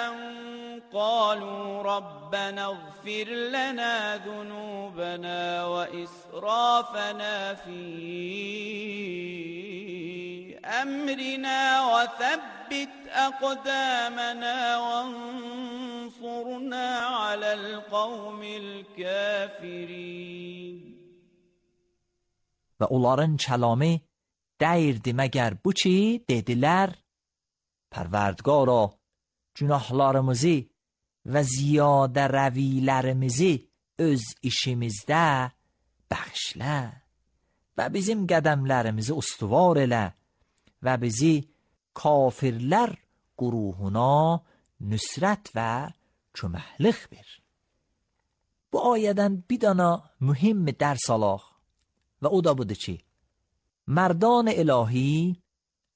أَنْ قَالُوا رَبَّنَا اغْفِرْ لَنَا ذُنُوبَنَا وَإِسْرَافَنَا فِي أَمْرِنَا وَثَبِّتْ أَقْدَامَنَا وَانصُرْنَا عَلَى الْقَوْمِ الْكَافِرِينَ. Və onların kəlamı dəyirdi məgər bu ki, dedilər, Pərvərdigara, günahlarımızı və ziyadə rəvilərimizi öz işimizdə bəxşlə və bizim qədəmlərimizi ustuvar elə və bizi kafirlər quruhuna nüsrət və köməklik ver. Bu ayədən bir dana mühim dərs alaq və o da budur ki, mərdan ilahi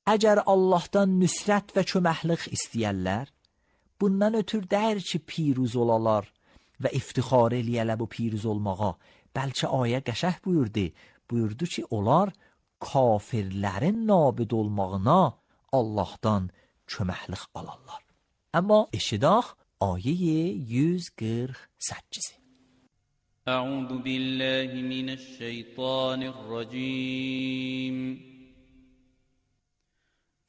əgər Allahdan nüsrət və köməklik istəyərlər, bundan ötür dəyir ki, piruz olalar və iftixar eləyələ bu piruz olmağa. Bəlkə ayə qəşəh buyurdu, buyurdu ki, onlar kafirlərin nabid olmağına Allahdan köməklik alarlar. Amma eşidək ayə yüz qırx səkkiz. أعوذ بالله من الشيطان الرجيم.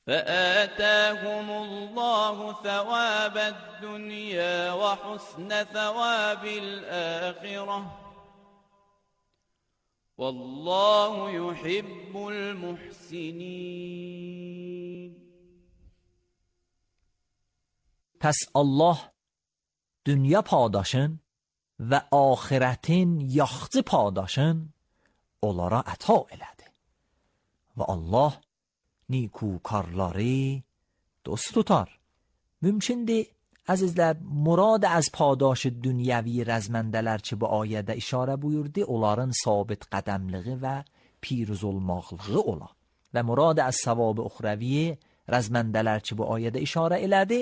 فآتاهم الله ثواب الدنيا وحسن ثواب الآخرة والله يحب المحسنين. پس Allah dünya paydaşın və axiretin yaxçı paydaşın onlara əta elədi. Və Allah نیکوکارları dost tutar. Mümkündür, əzizlər, murad az paydaş dünyəvi rəzməndələr ki, bu ayədə işarə buyurdu, onların sabit qədəmliği və piruz olmaqlığı ola. Və murad az savab uxravi rəzməndələr ki, bu ayədə işarə elədi,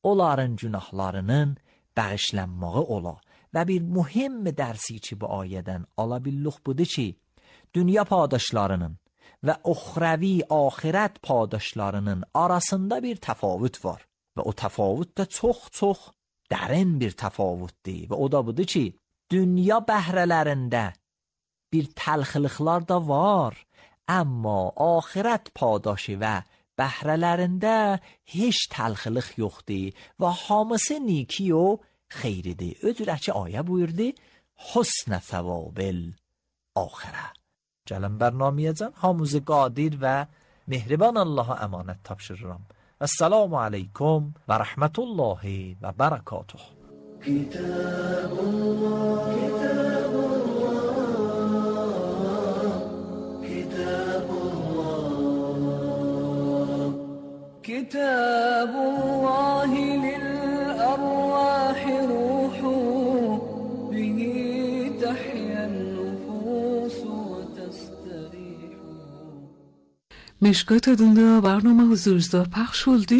onların günahlarının bağışlanmağı ola. Və bir mühim dərsi ki, bu ayədən ala billuq budur ki, dünya paydaşlarının və uxravi axirət paydaşlarının arasında bir təfavüt var. Və o təfavüt də çox-çox dərin bir təfavütdir. Və o da budur ki, dünya bəhrələrində bir təlxiliqlar da var, amma axirət paydaşı və bəhrələrində heç təlxiliq yoxdur və hamısı niki o xeyridir. Öcürə ki, ayə buyurdu, حسن ثواب الآخره. Gəlin bərnamiyəcən hamımızı qadir və mehriban Allaha əmanət tapşırıram. Esselamu aleykum və rəhmətullahi və bərəkatuh. Kitabullah, Kitabullah, Kitabullah, Kitabullahi lil-arwahi ruhu, bihi tahyan مشکات adında barnama huzurunuzda paylaş oldu.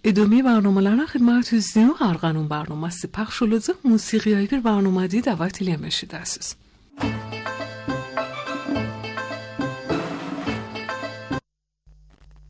Edome barnamalarına xidmətinizdəyəm. Arğanun barnaması paylaş olacaq. Musiqiyə bir barnamada dəvət eləmişdiniz.